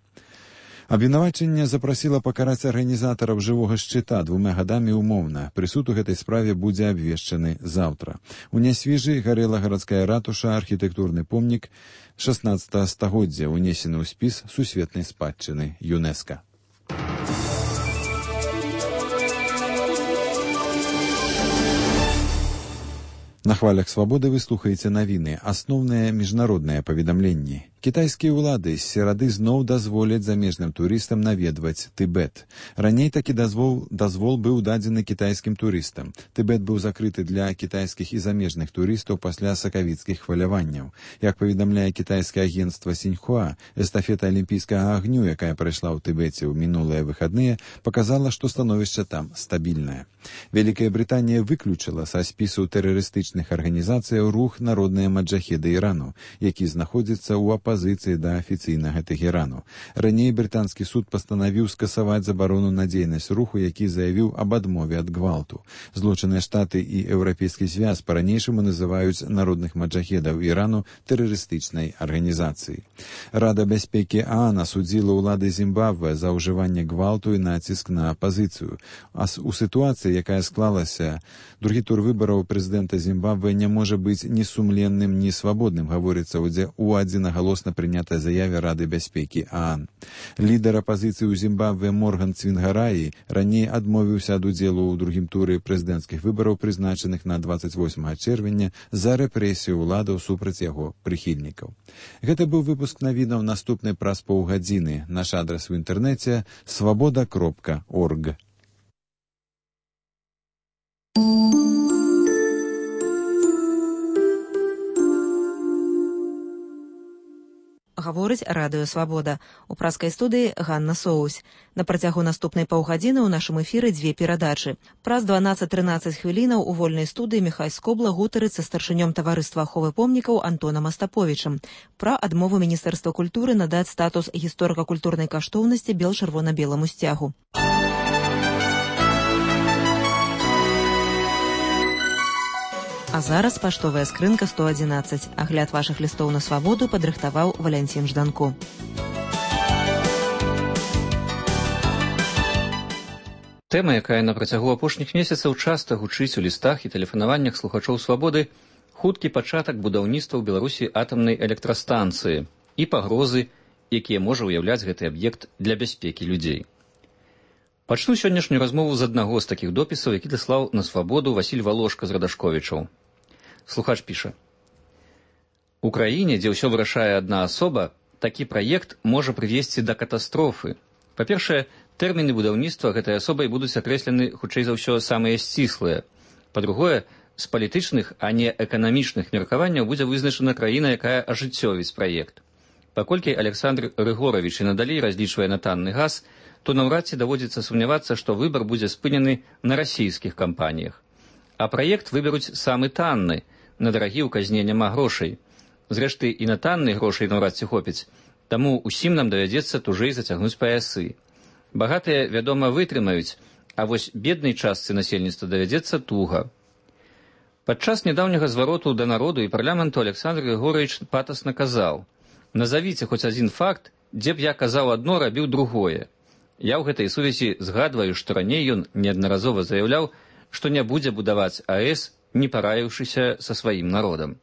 Speaker 15: Абвінавачанне запрасіла пакараць арганізатараў жывога шчыта двума гадамі умоўна. Прысуд у гэтай справе будзе абвешчаны заўтра. У Нясвіжы гарэла гарадская ратуша, архітэктурны помнік шаснаццатага стагоддзя, унесены ў спіс сусветнай спадчыны ЮНЕСКА. На хвалях свабоды вы слухаеце навіны, асноўныя міжнародныя паведамленні. Кітайскія ўлады з серады зноў дазволяць замежным турыстам наведваць Тыбет. Раней такі дазвол, дазвол быў дадзены кітайскім турыстам. Тыбет быў закрыты для кітайскіх і замежных турыстаў пасля сакавіцкіх хваляванняў. Як паведамляе кітайскае агенцтва Сіньхуа, эстафета алімпійскага агню, якая прайшла ў Тыбеце ў мінулыя выхадныя, паказала, што становішча там стабільнае. Вялікая Брытанія выключыла са спісу тэрарыстычных арганізацыяў рух «Народныя маджахеды Ірану», які знаходзіцца ў апазіцыі да афіцыйнага Тэхерану. Раней брытанскі суд пастанавіў скасаваць забарону на дзейнасць руху, які заявіў аб адмове ад гвалту. Злучаныя Штаты і Еўрапейскі звяз па-ранейшаму называюць народных маджахедаў Ірану тэрарыстычнай арганізацыяй. Рада бяспекі ААН асудзіла ўлады Зімбабве за ўжыванне гвалту і націск на апазіцыю. А у сітуацыі, якая склалася, другі тур выбараў прэзідэнта Зімбабве не можа быць ні сумленным, ні свабодным, гаворыцца ў адзінагалосна прынятай заяве Рады бяспекі ААН. Лідар апазіцыі ў Зімбабве Морган Цвінгараі раней адмовіўся ад удзелу ў другім туры прэзідэнцкіх выбараў, прызначаных на двадцать восьмага чэрвеня, за рэпрэсію ўладаў супраць яго прыхільнікаў. Гэта быў выпуск навінаў, наступны праз паўгадзіны. Наш адрас у інтэрнэце свабода кропка орг.
Speaker 1: Гаворыць радыё «Свабода». У праскай студыі Ганна Соусь. На працягу наступнай паўгадзіны ў нашым эфіры дзве перадачы. Праз дванаццаць-трынаццаць хвілінаў у вольнай студыі Міхай Скобла гутарыць са старшынём таварыства аховы помнікаў Антонам Астаповічам пра адмову Міністэрства культуры надаць статус гісторыка-культурнай каштоўнасці бел-чырвона-беламу сцягу. А зараз паштовая скрынка сто адзінаццаць. Агляд вашых лістоў на свабоду падрыхтаваў Валянцін Жданко.
Speaker 18: Тэма, якая на працягу апошніх месяцаў часта гучыць у лістах і тэлефанаваннях слухачоў свабоды, хуткі пачатак будаўніцтва ў Беларусі атамнай электрастанцыі і пагрозы, якія можа ўяўляць гэты аб'ект для бяспекі людзей. Пачну сённяшнюю размову з аднаго з такіх допісаў, які даслаў на свабоду Васіль Валошка з Радашковічаў. Слухач піша: У краіне, дзе ўсё вырашае адна асоба, такі праект можа прывесці да катастрофы. Па-першае, тэрміны будаўніцтва гэтай асобай будуць акрэслены, хутчэй за ўсё, самыя сціслыя. Па-другое, з палітычных, а не эканамічных меркаванняў будзе вызначана краіна, якая ажыццёвіць праект. Паколькі Александр Рыгоравіч і надалей разлічвае на танны газ, то наўрад ці даводзіцца сумнявацца, што выбар будзе спынены на расійскіх кампаніях. А праект выберуць самы танны, на дарагі ў казне няма грошай. Зрэшты, і на танныя грошай наўрад ці хопіць, таму ўсім нам давядзецца тужэй зацягнуць паясы. Багатыя, вядома, вытрымаюць, а вось беднай частцы насельніцтва давядзецца туга. Падчас нядаўняга звароту да народу і парламенту Александр Григорьевич патасна казаў: «Назавіце хоць адзін факт, дзе б я казаў адно, рабіў другое». Я ў гэтай сувязі згадваю, што раней ён неаднаразова заяўляў, што не будзе будаваць АЭС, не параіўшыся са сваім народам.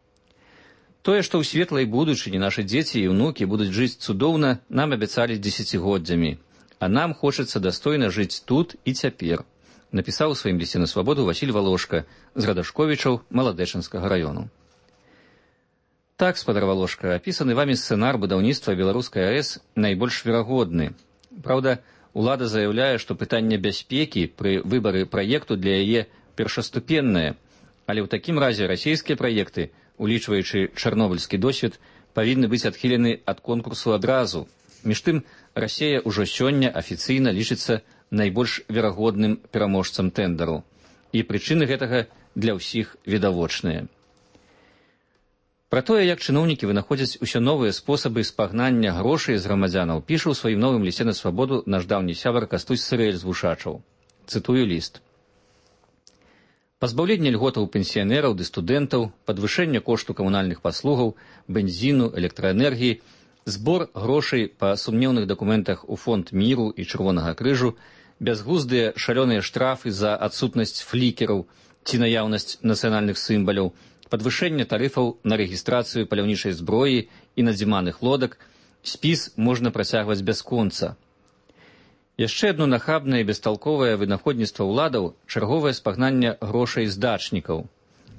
Speaker 18: Тое, што ў светлай будучыні нашы дзеці і ўнукі будуць жыць цудоўна, нам абяцалі дзесяцігоддзямі, а нам хочацца дастойна жыць тут і цяпер, напісаў у сваім лісце на свабоду Васіль Волошка з Радашковічаў Маладэчынскага раёну. Так, спадар Волошка, апісаны вамі сцэнар будаўніцтва беларускай АЭС найбольш верагодны. Праўда, улада заяўляе, што пытанне бяспекі пры выбары праекту для яе першаступеннае, але ў такім разе расійскія праекты, улічваючы чарнобыльскі досвед, павінны быць адхілены ад конкурсу адразу. Між тым, Расія ўжо сёння афіцыйна лічыцца найбольш верагодным пераможцам тэндару. І прычыны гэтага для ўсіх відавочныя. Пра тое, як чыноўнікі вынаходзяць усё новыя спосабы спагнання грошай з грамадзянаў, піша ў сваім новым лісце на свабоду наш даўні сябар Кастусь Сырэль з Вушачаў. Цытую ліст. Пазбаўленне льготаў пенсіянераў ды студэнтаў, падвышэнне кошту камунальных паслугаў, бензіну, электраэнергіі, збор грошай па сумнеўных дакументах у фонд міру і Чырвонага крыжу, бязглуздыя шалёныя штрафы за адсутнасць флікераў ці наяўнасць нацыянальных сімваляў, падвышэнне тарыфаў на рэгістрацыю паляўнічай зброі і надзіманых лодак, спіс можна працягваць бясконца. Яшчэ адно нахабнае і бесталковае вынаходніцтва ўладаў – чарговае спагнанне грошай з дачнікаў.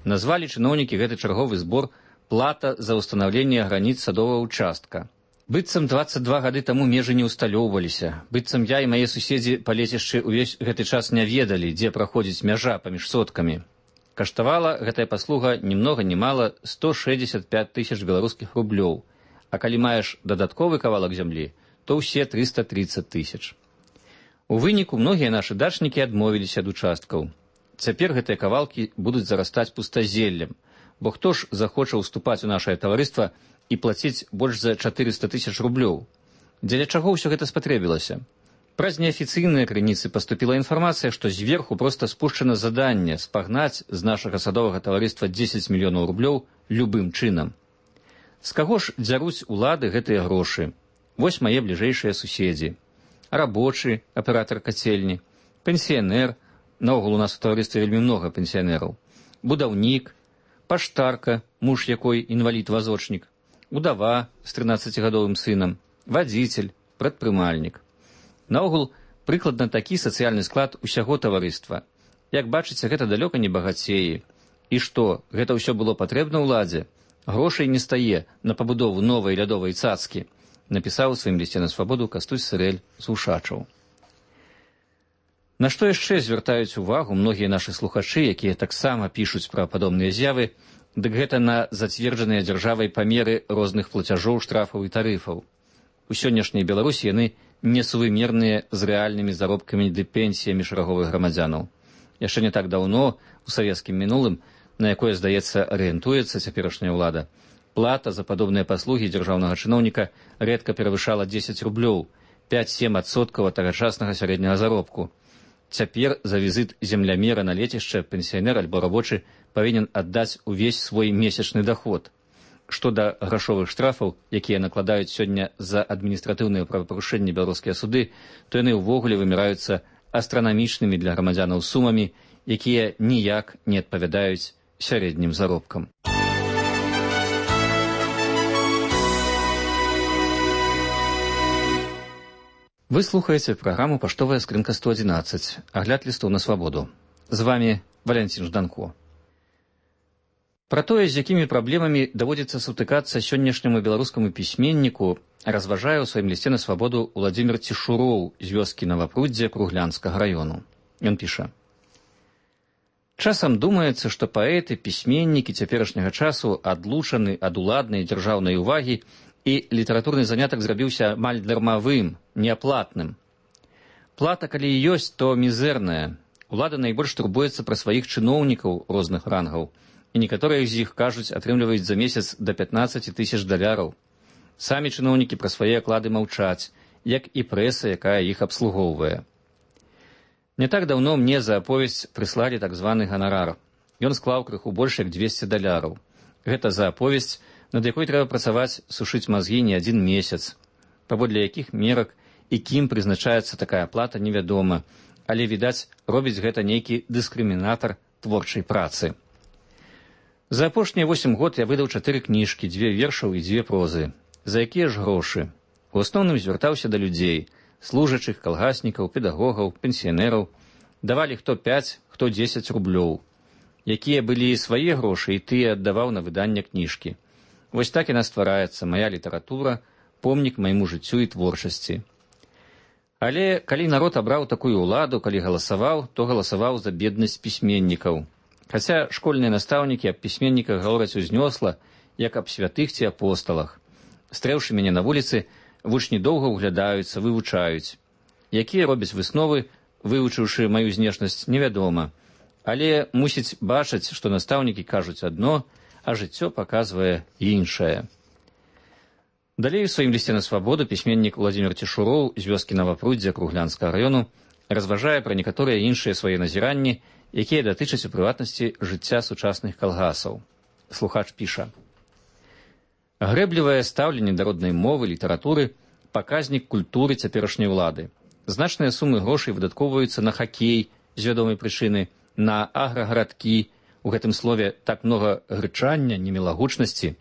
Speaker 18: Назвалі чыноўнікі гэты чарговы збор «плата за ўстанаўленне граніц садовага ўчастка». Быццам дваццаць два гады таму межы не ўсталёўваліся, быццам я і мае суседзі па лецішчы ўвесь гэты час не ведалі, дзе праходзіць мяжа паміж соткамі. Каштавала гэтая паслуга ні многа ні мала сто шэсцьдзесят пяць тысяч беларускіх рублёў, а калі маеш дадатковы кавалак зямлі, то ўсе трыста трыццаць тысяч. У выніку многія нашы дачнікі адмовіліся ад участкаў. Цяпер гэтыя кавалкі будуць зарастаць пустазеллем, бо хто ж захоча ўступаць у нашае таварыства і плаціць больш за чатырыста тысяч рублёў? Дзеля чаго ўсё гэта спатрэбілася? Праз неафіцыйныя крыніцы паступіла інфармацыя, што зверху проста спушчана заданне спагнаць з нашага садовага таварыства дзесяць мільёнаў рублёў любым чынам. З каго ж дзяруць улады гэтыя грошы? Вось мае бліжэйшыя суседзі. Рабочы, аператар кацельні, пенсіянер, наогул у нас у таварыстве вельмі многа пенсіянераў, будаўнік, паштарка, муж якой інвалід-вазочнік, удава з трынаццацігадовым сынам, вадзіцель, прадпрымальнік. Наогул, прыкладна такі сацыяльны склад усяго таварыства. Як бачыце, гэта далёка не багацеі. І што, гэта ўсё было патрэбна ўладзе? Грошай не стае на пабудову новай лядовай цацкі, напісаў у сваім лісце на свабоду Кастусь Сырэль з Ушачаў. На што яшчэ звяртаюць увагу многія нашы слухачы, якія таксама пішуць пра падобныя з'явы, дык гэта на зацверджаныя дзяржавай памеры розных плацяжоў, штрафаў і тарыфаў. У сённяшняй Беларусі яны несувымерныя з рэальнымі заробкамі ды пенсіямі шараговых грамадзянаў. Яшчэ не так даўно, у савецкім мінулым, на якое, здаецца, арыентуецца цяперашняя ўлада, плата за падобныя паслугі дзяржаўнага чыноўніка рэдка перавышала дзесяць рублёў, пяць-сем адсоткаў ад тагачаснага сярэдняга заробку. Цяпер за візіт землямера на лецішча пенсіянер альбо рабочы павінен аддаць увесь свой месячны даход. Што да грашовых штрафаў, якія накладаюць сёння за адміністратыўныя правапарушэнні беларускія суды, то яны ўвогуле выміраюцца астранамічнымі для грамадзянаў сумамі, якія ніяк не адпавядаюць сярэднім заробкам. Вы слухаеце праграму «Паштовая скрынка сто адзінаццаць», агляд лістоў на свабоду. З вамі Валянцін Жданко. Пра тое, з якімі праблемамі даводзіцца сутыкацца сённяшняму беларускаму пісьменніку, разважае ў сваім лісце на свабоду Уладзімір Цішуроў з вёскі Навапруддзе Круглянскага раёну. Ён піша: «Часам думаецца, што паэты, пісьменнікі цяперашняга часу адлучаны ад уладнай дзяржаўнай увагі і літаратурны занятак зрабіўся амаль дармавым, неаплатным. Плата, калі і ёсць, то мізэрная. Улада найбольш турбуецца пра сваіх чыноўнікаў розных рангаў, і некаторыя з іх, кажуць, атрымліваюць за месяц да пятнаццаць тысяч даляраў. Самі чыноўнікі пра свае аклады маўчаць, як і прэса, якая іх абслугоўвае. Не так даўно мне за аповесць прыслалі так званы ганарар. Ён склаў крыху больш як дзвесце даляраў. Гэта за аповесць, над якой трэба працаваць, сушыць мазгі не адзін месяц. Паводле якіх мерак і кім прызначаецца такая плата, невядома, але, відаць, робіць гэта нейкі дыскрымінатар творчай працы. За апошнія восем год я выдаў чатыры кніжкі, дзве вершаў і дзве прозы. За якія ж грошы? У асноўным звяртаўся да людзей, служачых, калгаснікаў, педагогаў, пенсіянераў. Давалі хто пяць, хто дзесяць рублёў. Якія былі свае грошы, і тыя аддаваў на выданне кніжкі. Вось так яна ствараецца, мая літаратура, помнік майму жыццю і творчасці. Але калі народ абраў такую ўладу, калі галасаваў, то галасаваў за беднасць пісьменнікаў. Хаця школьныя настаўнікі аб пісьменніках гавораць узнёсла, як аб святых ці апосталах. Стрэўшы мяне на вуліцы, вучні доўга ўглядаюцца, вывучаюць. Якія робяць высновы, вывучыўшы маю знешнасць, невядома. Але мусіць бачыць, што настаўнікі кажуць адно, а жыццё паказвае іншае. Далей у сваім лісце на свабоду пісьменнік Уладзімір Цішуроў з вёскі Навапруддзя Круглянскага раёну разважае пра некаторыя іншыя свае назіранні, якія датычаць у прыватнасці жыцця сучасных калгасаў. Слухач піша: грэблівае стаўленне да роднай мовы, літаратуры, паказнік культуры цяперашняй улады. Значныя сумы грошай выдаткоўваюцца на хакей з вядомай прычыны, на аграгарадкі, у гэтым слове так многа грычання, немілагучнасці.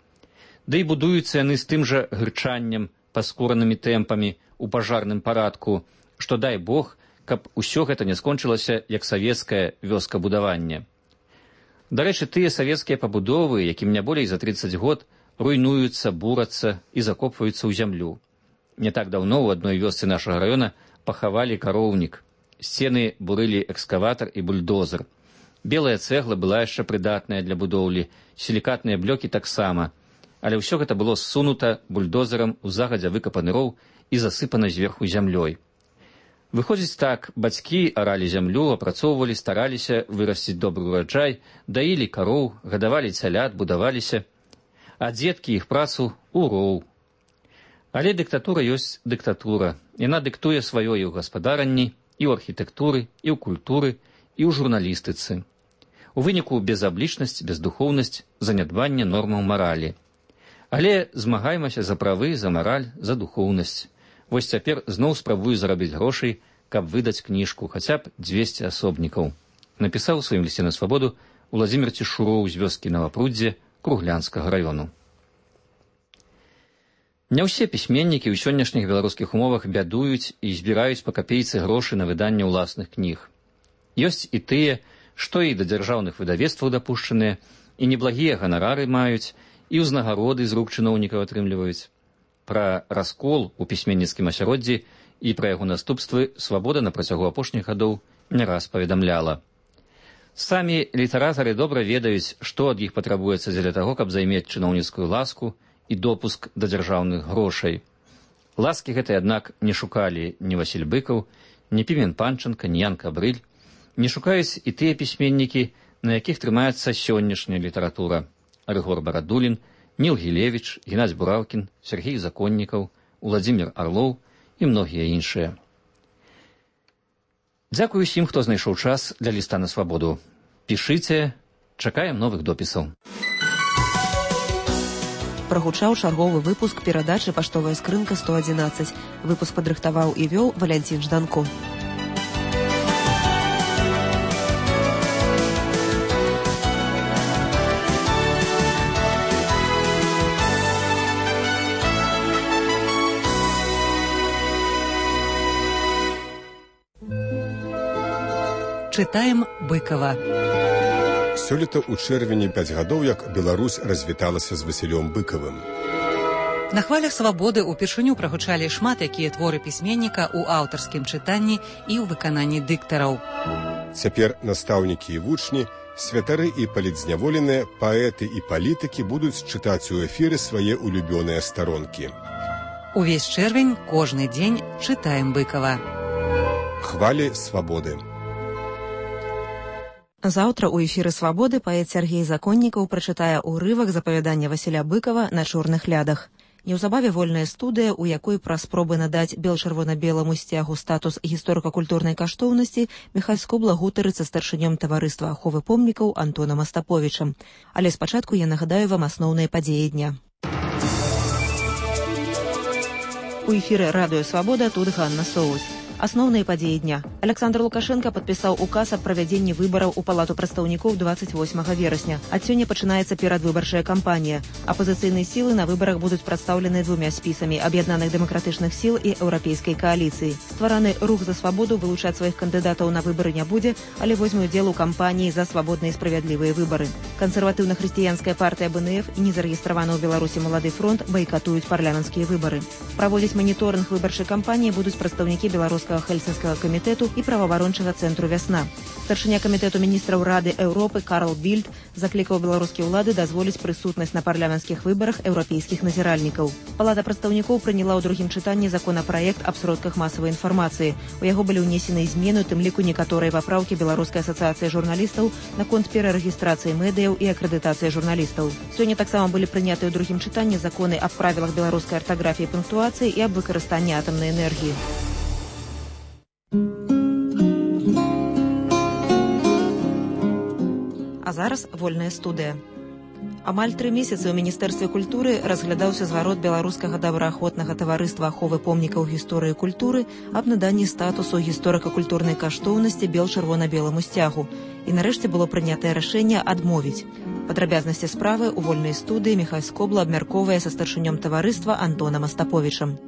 Speaker 18: Да і будуюцца яны з тым жа грычаннем, паскоранымі тэмпамі, у пажарным парадку, што дай Бог, каб усё гэта не скончылася як савецкае вёскабудаванне. Дарэчы, тыя савецкія пабудовы, якім не болей за трыццаць год, руйнуюцца, бурацца і закопваюцца ў зямлю. Не так даўно ў адной вёсцы нашага раёна пахавалі кароўнік. Сцены бурылі экскаватар і бульдозер. Белая цэгла была яшчэ прыдатная для будоўлі, сілікатныя блёкі таксама. Але ўсё гэта было ссунута бульдозерам у загадзя выкапаны роў і засыпана зверху зямлёй. Выходзіць так, бацькі аралі зямлю, апрацоўвалі, стараліся вырасціць добры ураджай, даілі кароў, гадавалі цялят, будаваліся, а дзеткі іх працу ў роў. Але дыктатура ёсць дыктатура. Яна дыктуе сваё і ў гаспадаранні, і ў архітэктуры, і ў культуры, і ў журналістыцы. У выніку безаблічнасць, бездухоўнасць, занядбанне нормаў маралі. Але змагаймася за правы, за мараль, за духоўнасць. Вось цяпер зноў спрабую зарабіць грошай, каб выдаць кніжку, хаця б дзвесце асобнікаў. Напісаў у сваім лісце на свабоду Уладзімір Цішуроў з вёскі Навапруддзе Круглянскага раёну. Не ўсе пісьменнікі ў сённяшніх беларускіх умовах бядуюць і збіраюць па капейцы грошы на выданне ўласных кніг. Ёсць і тыя, што і да дзяржаўных выдавецтваў дапушчаныя, і неблагія ганарары маюць, і ўзнагароды з рук чыноўнікаў атрымліваюць. Пра раскол у пісьменніцкім асяроддзі і пра яго наступствы свабода на працягу апошніх гадоў не раз паведамляла. Самі літаратары добра ведаюць, што ад іх патрабуецца дзеля таго, каб займець чыноўніцкую ласку і допуск да дзяржаўных грошай. Ласкі гэтай, аднак, не шукалі ні Васіль Быкаў, ні Пімен Панченка, ні Ян Кабрыль, не шукаюць і тыя пісьменнікі, на якіх трымаецца сённяшняя літаратура. Рыгор Барадулін, Ніл Гілевіч, Геннадзь Бураўкін, Сергей Законнікаў, Уладзімір Арлоў і многія іншыя. Дзякую усім, хто знайшоў час для ліста на свабоду. Пішыце, чакаем новых допісаў.
Speaker 1: Прагучаў чарговы выпуск перадачы «Паштовая скрынка сто адзінаццаць». Выпуск падрыхтаваў і вёў Валянцін Жданко.
Speaker 2: Чытаем Быкава.
Speaker 3: Сёлета ў чэрвені пяць гадоў, як Беларусь развіталася з Васілём Быкавым.
Speaker 2: На хвалях свабоды ўпершыню прагучалі шмат якія творы пісьменніка ў аўтарскім чытанні і ў выкананні дыктараў.
Speaker 3: Цяпер настаўнікі і вучні, святары і палітзняволеныя, паэты і палітыкі будуць чытаць у эфіры свае улюбёныя старонкі.
Speaker 2: Увесь чэрвень, кожны дзень чытаем Быкава.
Speaker 3: Хвалі свабоды.
Speaker 1: Заўтра ў эфіры «Свабоды» паэт Сяргей Законнікаў прачытае ўрывак з апавядання Васіля Быкава «На чорных лядах». Неўзабаве вольная студыя, у якой пра спробы надаць бел-чырвона-беламу сцягу статус гісторыка-культурнай каштоўнасці Міхаль Скобла гутарыцца старшынём таварыства аховы помнікаў Антонам Астаповічам. Але спачатку я нагадаю вам асноўныя падзеі дня. У эфіры радыё «Свабода» тут Ганна Соус. Асноўныя падзеі дня. Александр Лукашенко падпісаў указ аб правядзенні выбараў у палату прадстаўнікоў двадцать восьмага верасня. Ад сёння пачынаецца перадвыбарчая кампанія. Апазіцыйныя сілы на выбарах будуць прадстаўлены двумя спісамі аб'яднаных дэмакратычных сіл і еўрапейскай кааліцыі. Ствараны рух за свабоду вылучаць сваіх кандыдатаў на выбары не будзе, але возьме ўдзел у кампаніі за свабодныя і справядлівыя выбары. Кансерватыўна-хрысціянская партыя бэ эн эф і незарэгістраваны ў Беларусі Малады фронт байкатуюць парламенцкія выбары. Праводзіць маніторынг выбарчай кампаніі будуць прадстаўнікі беларускага Хельсінскага камітэту і праваабарончага цэнтру «Вясна». Старшыня камітэту міністраў Рады Еўропы Карл Більд заклікаў беларускія ўлады дазволіць прысутнасць на парламенцкіх выбарах еўрапейскіх назіральнікаў. Палата прадстаўнікоў прыняла ў другім чытанні законапраект аб сродках масавай інфармацыі. У яго былі ўнесены змены, у тым ліку некаторыя папраўкі Беларускай асацыяцыі журналістаў наконт перарэгістрацыі медыяў і акрэдытацыі журналістаў. Сёння таксама былі прынятыя ў другім чытанні законы аб правілах беларускай артаграфіі і пунктуацыі і аб выкарыстанні атамнай энергіі. А зараз вольная студыя. Амаль тры месяцы ў Міністэрстве культуры разглядаўся зварот беларускага добраахвотнага таварыства аховы помнікаў гісторыі культуры аб наданні статусу гісторыка-культурнай каштоўнасці бел-чырвона-беламу сцягу. І нарэшце было прынятае рашэнне адмовіць. Падрабязнасці справы ў вольнай студыі Міхаль Скобла абмяркоўвае са старшынём таварыства Антонам Астаповічам.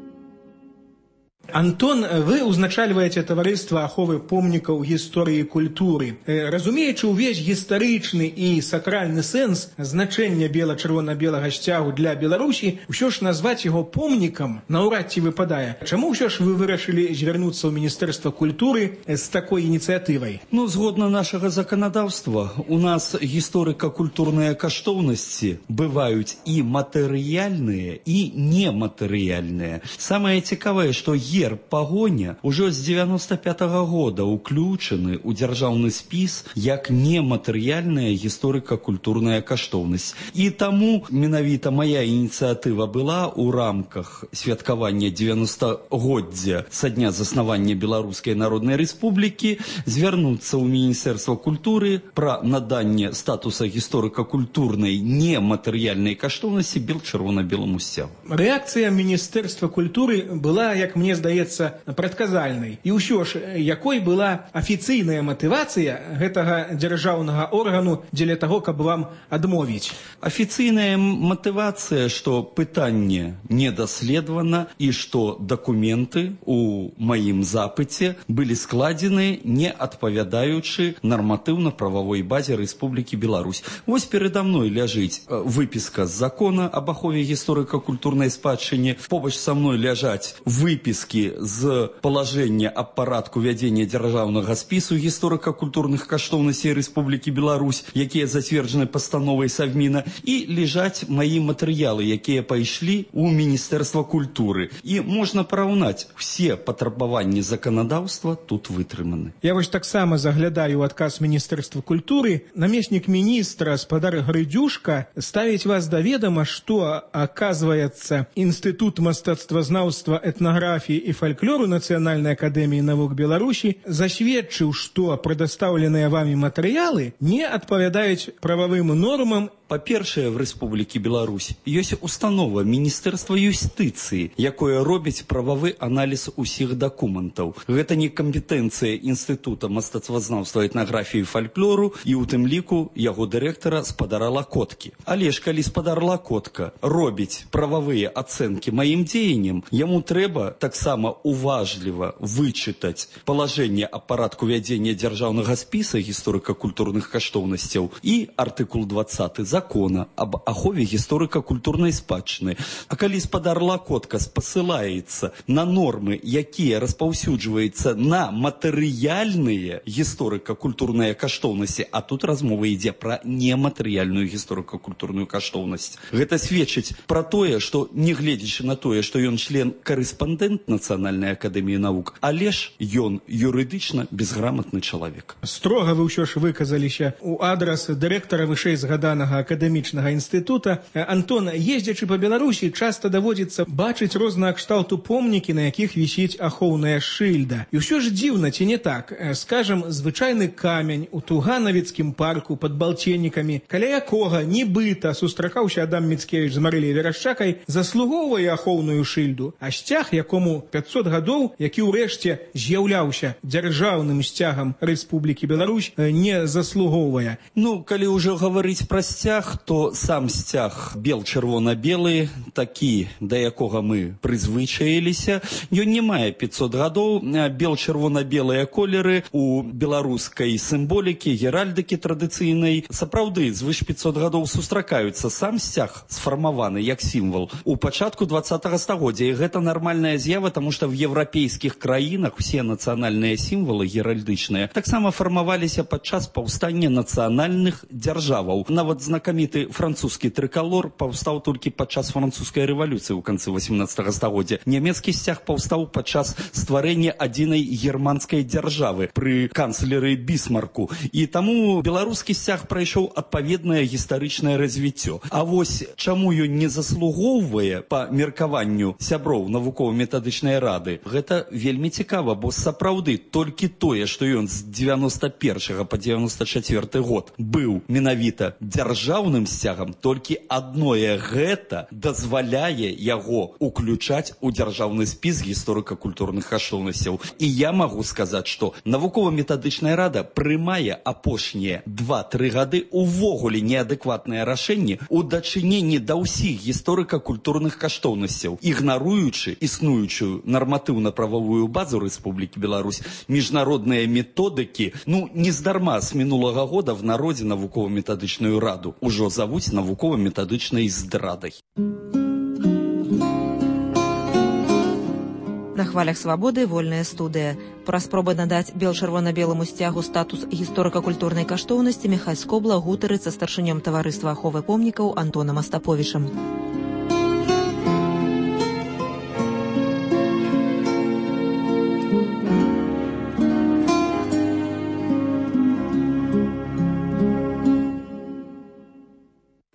Speaker 26: Антон, вы узначальваеце таварыства аховы помнікаў гісторыі культуры. Разумеючы ўвесь гістарычны і сакральны сэнс значэння бела-чырвона-белага сцягу для Беларусі, ўсё ж назваць яго помнікам наўрад ці выпадае. Чаму ўсё ж вы вырашылі звярнуцца ў Міністэрства культуры з такой ініцыятывай?
Speaker 27: Ну, згодна нашага заканадаўства, у нас гісторыка-культурныя каштоўнасці бываюць і матэрыяльныя, і нематэрыяльныя. Самае цікавае, што герб пагоня ўжо з дзевяноста пятага года ўключаны ў дзяржаўны спіс як нематэрыяльная гісторыка-культурная каштоўнасць. І таму менавіта мая ініцыятыва была ў рамках святкавання дзевяностагоддзя са дня заснавання Беларускай Народнай Рэспублікі звярнуцца ў Міністэрства культуры пра наданне статуса гісторыка-культурнай нематэрыяльнай каштоўнасці бел-чырвона-беламу сцягу.
Speaker 26: Рэакцыя Міністэрства культуры была, як мне здаецца, прадказальнай. І ўсё ж, якой была афіцыйная матывацыя гэтага дзяржаўнага органу дзеля таго, каб вам адмовіць?
Speaker 27: Афіцыйная матывацыя, што пытанне не даследавана і што дакументы ў маім запыце былі складзены не адпавядаючы нарматыўна-прававой базе Рэспублікі Беларусь. Вось перада мной ляжыць выпіска з закона аб ахове гісторыка-культурнай спадчыне. Побач са мной ляжаць выпіски з палажэння аб парадку вядзення дзяржаўнага спісу гісторыка-культурных каштоўнасцей Рэспублікі Беларусь, якія зацверджаны пастановай Савміна, і ляжаць маі матэрыялы, якія пайшлі ў Міністэрства культуры. І можна параўнаць, усе патрабаванні заканадаўства тут вытрыманы.
Speaker 26: Я вось таксама заглядаю ў адказ Міністэрства культуры. Намеснік міністра спадар Грыдзюшка ставіць вас да ведама, што, аказваецца, Інстытут мастацтвазнаўства, этнаграфіі і фальклору Нацыянальнай акадэміі навук Беларусі засведчыў, што прадастаўленыя вамі матэрыялы не адпавядаюць прававым нормам.
Speaker 27: Па-першае, в Рэспублікі Беларусь ёсць установа Міністэрства юстыцыі, якое робіць прававы аналіз усіх дакументаў. Гэта не кампетэнцыя Інстытута мастацтвазнаўства, этнаграфіі і фальклору і ў тым ліку яго дырэктара спадара Лакоткі. Але ж калі спадар Лакотка робіць прававыя ацэнкі маім дзеянням, яму трэба таксама уважліва вычытаць палажэнне аб парадку вядзення дзяржаўнага спіса гісторыка-культурных каштоўнасцяў і артыкул двадцаты закона закона об ахове гісторыка-культурнай спадчыны. А калі спадар Лакотка спасылаецца на нормы, якія распаўсюджваюцца на матэрыяльныя гісторыка-культурныя каштоўнасці, а тут размова ідзе пра нематэрыяльную гісторыка-культурную каштоўнасць. Гэта сведчыць пра тое, што нягледзячы на тое, што ён член-карэспандэнт Нацыянальнай акадэміі навук, але ж ён юрыдычна безграмотны чалавек.
Speaker 26: Строга вы ўсё ж выказаліся у адрас дырэктара вышэй згаданага акадэмічнага інстытута. Антон, ездзячы па Беларусі, часта даводзіцца бачыць рознага кшталту помнікі, на якіх вісіць ахоўная шыльда. І ўсё ж дзіўна, ці не так? Скажам, звычайны камень у Туганавіцкім парку пад Балценнікамі, каля якога нібыта сустракаўся Адам Міцкевіч з Марыляй Верашчакай, заслугоўвае ахоўную шыльду, а сцяг, якому пятьсот гадоў, які ўрэшце з'яўляўся дзяржаўным сцягам Рэспублікі Беларусь, не заслугоўвае.
Speaker 27: Ну, калі ўжо гаварыць пра сцяг, то сам сцяг бел-чырвона-белы, такі, да якога мы прызвычаіліся, ён не мае пятьсот гадоў. Бел-чырвона-белыя колеры у беларускай сімволікі, геральдыкі традыцыйнай сапраўды звыш пятьсот гадоў сустракаюцца. Сам сцяг сфармаваны як сімвал у пачатку двадцатага стагоддзя, і гэта нармальная з'ява, таму што в еўрапейскіх краінах усе нацыянальныя сімвалы геральдычныя таксама фармаваліся падчас паўстання нацыянальных дзяржаваў. Нават знакаміты французскі трыкалор паўстаў толькі падчас французскай рэвалюцыі ў канцы восемнадцатага стагоддзя. Нямецкі сцяг паўстаў падчас стварэння адзінай германскай дзяржавы пры канцлеры Бісмарку. І таму беларускі сцяг прайшоў адпаведнае гістарычнае развіццё. А вось чаму ён не заслугоўвае па меркаванню сяброў навукова-метадычнай рады, гэта вельмі цікава, бо сапраўды толькі тое, што ён з дзевяноста першага па дзевяноста чацвёрты год быў менавіта дзяржаўным сцягам, толькі адное гэта дазваляе яго уключаць у дзяржаўны спіс гісторыка-культурных каштоўнасцяў. І я магу сказаць, што навукова-метадычная рада прымае апошнія два-тры гады увогуле неадэкватныя рашэнні у дачыненні да ўсіх гісторыка-культурных каштоўнасцяў, ігнаруючы існуючую нарматыўна-прававую базу Рэспублікі Беларусь, міжнародныя методыкі. Ну, нездарма з мінулага года в народзе навукова-метадычную раду ўжо завуць навукова-метадычнай здрадай.
Speaker 1: На хвалях свабоды вольная студыя. Пра спробы надаць бел-чырвона-беламу сцягу статус гісторыка-культурнай каштоўнасці Міхась Скобла гутарыць са старшынём таварыства аховы помнікаў Антонам Астаповічам.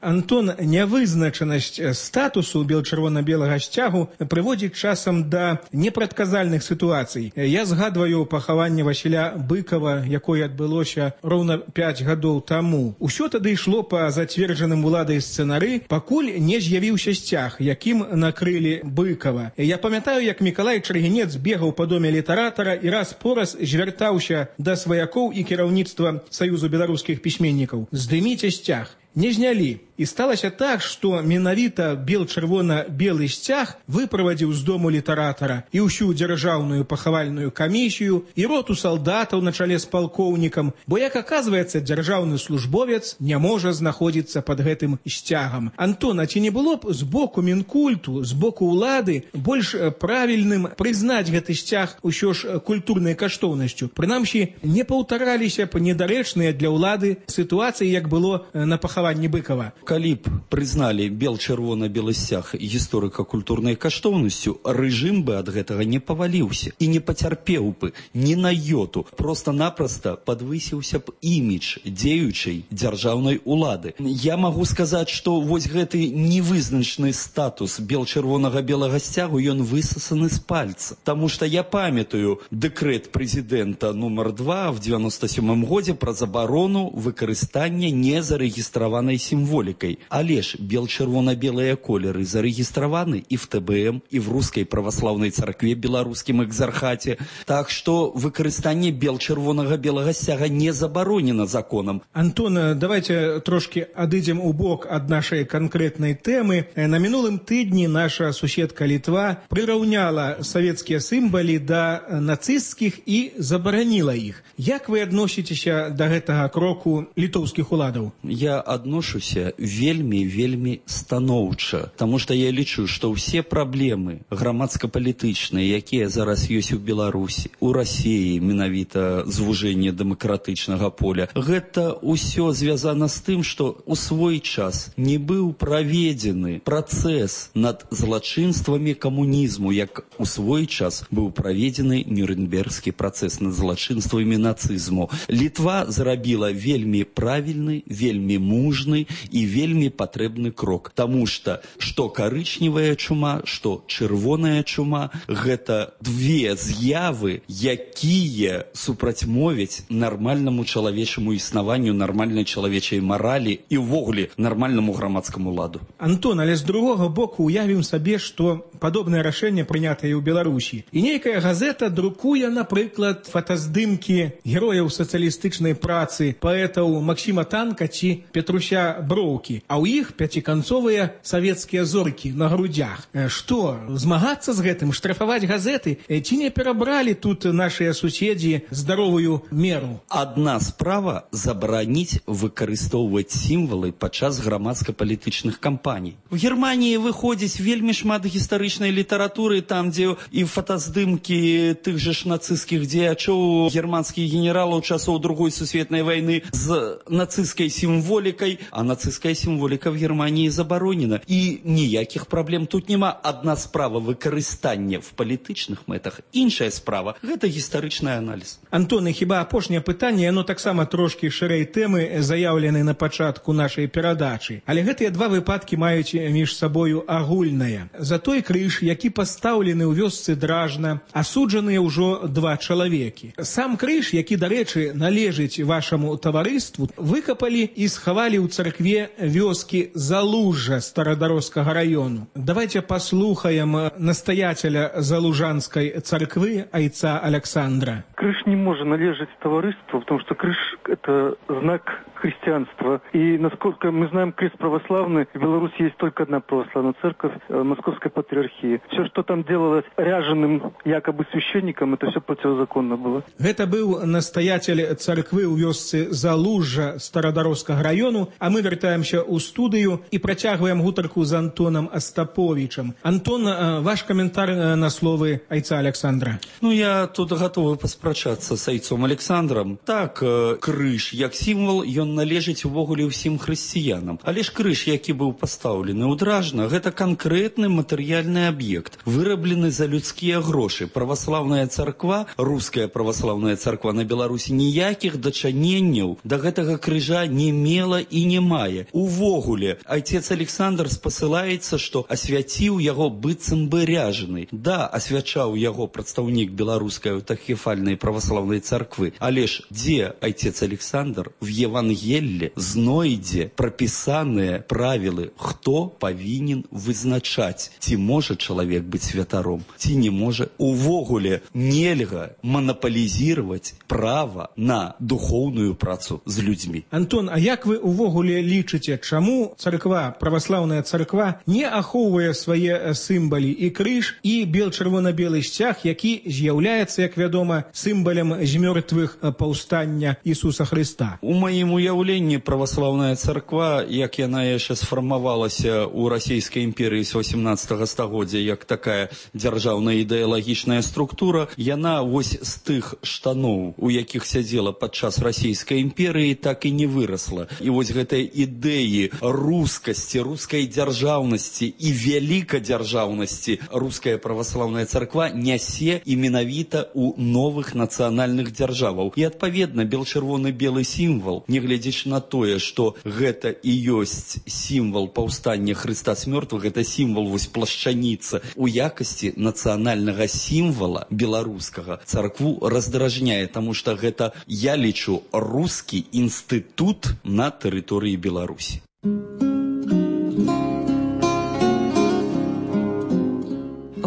Speaker 26: Антон, нявызначанасць статусу бел-чырвона-белага сцягу прыводзіць часам да непрадказальных сітуацый. Я згадваю пахаванне Васіля Быкова, якое адбылося роўна пяць гадоў таму. Усё тады ішло па зацверджаным уладай сцэнары, пакуль не з'явіўся сцяг, якім накрылі Быкова. Я памятаю, як Мікалай Чаргінец бегаў па доме літаратара і раз-пораз звяртаўся да сваякоў і кіраўніцтва Саюзу беларускіх пісьменнікаў: здыміце сцяг. Не знялі. І сталася так, што менавіта бел-чырвона-белы сцяг выправадзіў з дому літаратара і ўсю дзяржаўную пахавальную камісію, і роту салдатаў на чале з палкоўнікам, бо, як аказваецца, дзяржаўны службовец не можа знаходзіцца пад гэтым сцягам. Антон, а ці не было б з боку Мінкульту, з боку ўлады больш правільным прызнаць гэты сцяг усё ж культурнай каштоўнасцю? Прынамсі, не паўтараліся б недарэчныя для ўлады сітуацыі, як было на пахаванні Быкова.
Speaker 27: Калі б прызналі бел-чырвона-белы сцяг гісторыка-культурнай каштоўнасцю, рэжым бы ад гэтага не паваліўся і не пацярпеў бы ні на йоту. Проста-напроста падвысіўся б імідж дзеючай дзяржаўнай улады. Я магу сказаць, што вось гэты невызначны статус бел-чырвонага-белага сцягу, ён высасаны з пальца. Таму што я памятаю дэкрэт прэзідэнта нумар два в дзевяноста сёмым годзе пра забарону выкарыстання незарэгістраванай сімволікай. Але ж бел-чырвона-белыя колеры зарэгістраваны і в тэ бэ эм, і в рускай праваслаўнай царкве беларускім экзархаце. Так што выкарыстанне бел-чырвонага-белага сцяга не забаронена законам.
Speaker 26: Антон, давайте трошки адыдзем у бок ад нашай канкрэтнай тэмы. На мінулым тыдні наша суседка Літва прыраўняла савецкія сімвалы да нацысцкіх і забараніла іх. Як вы адносіцеся да гэтага кроку літоўскіх уладаў?
Speaker 27: Я адношуся вельмі вельмі станоўча, таму што я лічу, што ўсе праблемы грамадска-палітычныя, якія зараз ёсць у Беларусі, у Расіі, менавіта звужэнне дэмакратычнага поля, гэта ўсё звязана з тым, што у свой час не быў праведзены працэс над злачынствамі камунізму, як у свой час быў праведзены Нюрнбергскі працэс над злачынствамі нацызму. Літва зрабіла вельмі правільны, вельмі мужны і вельмі патрэбны крок, таму што што карычневая чума, што чырвоная чума – гэта две з'явы, якія супрацьмовяць нармальнаму чалавечаму існаванню, нармальнай чалавечай маралі і ўвогуле нармальнаму грамадскаму ладу.
Speaker 26: Антон, але з другога боку уявім сабе, што падобнае рашэнне прынятае ў Беларусі. І нейкая газета друкуе, напрыклад, фотаздымкі герояў сацыялістычнай працы, паэтаў Максіма Танка ці Петруся Броўкі, а ў іх пяціканцовыя савецкія зоркі на грудях. Што, змагацца з гэтым, штрафаваць газеты? Ці не перабралі тут нашыя суседзі здаровую меру?
Speaker 27: Адна справа забараніць выкарыстоўваць сімвалы падчас грамадска-палітычных кампаній. У Германіі выходзіць вельмі шмат гістарычнай літаратуры, там, дзе і фотаздымкі тых жа ж нацысцкіх дзеячоў, германскіх генералаў часоў Другой сусветнай вайны з нацысцкай сімволікай, а нацысцкая сімволіка в Германії забаронена. І ніякіх праблем тут няма. Адна справа выкарыстання в палітычных мэтах, іншая справа – гэта гістарычны аналіз.
Speaker 26: Антон, і хіба апошняе пытанне, яно таксама трошкі шырэй тэмы, заяўлены на пачатку нашай перадачы. Але гэтыя два выпадкі маюць між сабою агульнае. За той крыж, які пастаўлены ў вёсцы Дражна, асуджаныя ўжо два чалавекі. Сам крыж, які, дарэчы, належыць вашаму таварыству, выкапалі і схавалі ў царкве вёскі Залужжа Старадарожскага раёну. Давайте послухаем настоятеля Залужанской церкви айца Александра.
Speaker 7: Крыж не может належать товариству, потому что крыж – это знак христианства. И, насколько мы знаем, крест православный, в Беларуси есть только одна православная церковь – Московской патриархии. Все, что там делалось ряженым якобы священником, это все противозаконно было.
Speaker 26: Это был настоятель церкви у вёсцы Залужжа Старадарожскага району, а мы вертаемся у студию и протягиваем гутарку с Антоном Остаповичем. Антон, ваш комментарий на словы айца Александра.
Speaker 27: Ну, я тут готовы паспрачацца с айцом Александром. Так, крыж, як сімвал, ён належыць увогуле ўсім хрысціянам. Але ж крыж, які быў пастаўлены ў Дражна, гэта канкрэтны матэрыяльны аб'ект, выраблены за людскія грошы. Праваслаўная царква, руская праваслаўная царква на Беларусі ніякіх дачыненняў да гэтага крыжа не мела і не мае. Увогуле, айцец Александр спасылаецца, што асвяціў яго быццам бы ряжены. Да, асвячаў яго прадстаўнік беларускай аўтакефальнай праваслаўнай царквы. Але ж дзе айцец Александр в Евангелле знойдзе прапісаныя правілы, хто павінен вызначаць, ці можа чалавек быць святаром, ці не можа. Увогуле нельга манаполізировать права на духоўную працу з людзьмі.
Speaker 26: Антон, а як вы увогуле лічыце, чаму царква, праваслаўная царква не ахоўвае свае сімвалы і крыж, і бел-чырвона-белы сцяг, які з'яўляецца, як вядома, сімвалем змёртвых паўстання Ісуса Христа?
Speaker 27: У маім уяўленні праваслаўная царква, як яна яшчэ сфармавалася ў Расійскай імперыі з васемнаццатага стагоддзя, як такая дзяржаўная ідэалагічная структура, яна вось з тых штаноў, у якіх сядзела падчас Расійскай імперыі, так і не вырасла. І вось гэтыя ідэі рускасці, рускай дзяржаўнасці і вялікадзяржаўнасці руская праваслаўная царква нясе і менавіта ў новых нацыянальных дзяржаваў. І адпаведна бел-чырвоны-белы сімвал, нягледзячы на тое, што гэта і ёсць сімвал паўстання Хрыста з мёртвых, гэта сімвал вось плашчаніца. У якасці нацыянальнага сімвала беларускага царкву раздражняе, таму што гэта, я лічу, рускі інстытут на тэрыторыі Беларусі.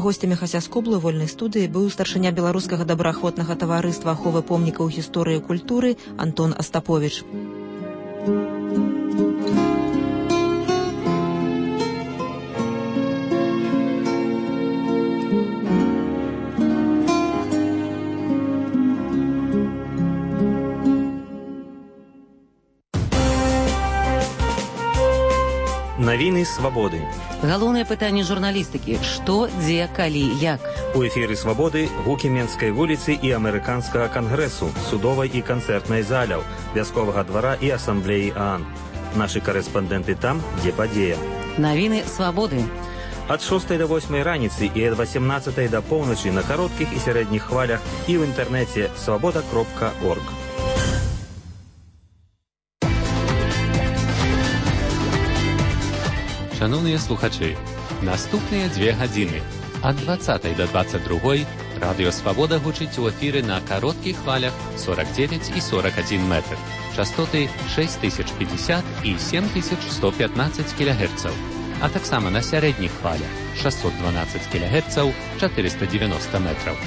Speaker 1: Гостямі Хасяскоблы вольнай студыі быў старшыня беларускага добраахвотнага таварыства аховы помнікаў гісторыі і культуры Антон Остапович.
Speaker 8: Навіны свабоды.
Speaker 2: Галоўнае пытанне журналістыкі: што, дзе, калі, як.
Speaker 8: У эфіры свабоды гукі Менскай вуліцы і амерыканскага кангрэсу, судовай і канцэртнай заляў, вясковага двара і асамблеі ААН. Нашы карэспандэнты там, дзе падзея.
Speaker 2: Навіны свабоды.
Speaker 8: Ад шостай да восьмай раніцы і ад васемнаццатай да поўначы на кароткіх і сярэдніх хвалях і ў інтэрнэце свабода кропка орг.
Speaker 9: Шановныя слухачы, наступныя дзве гадзіны ад дваццатай да дваццаць другой радыё Свабода гучыць у эфіры на кароткіх хвалях сорок девять і сорок один метр, частоты шесть тысяч пятьдесят і семь тысяч сто пятнадцать кілогерцаў, а таксама на сярэдніх хвалях шестьсот двенадцать кілогерцаў, четыреста девяносто метров.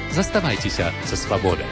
Speaker 9: Заставайцеся са Свабодай.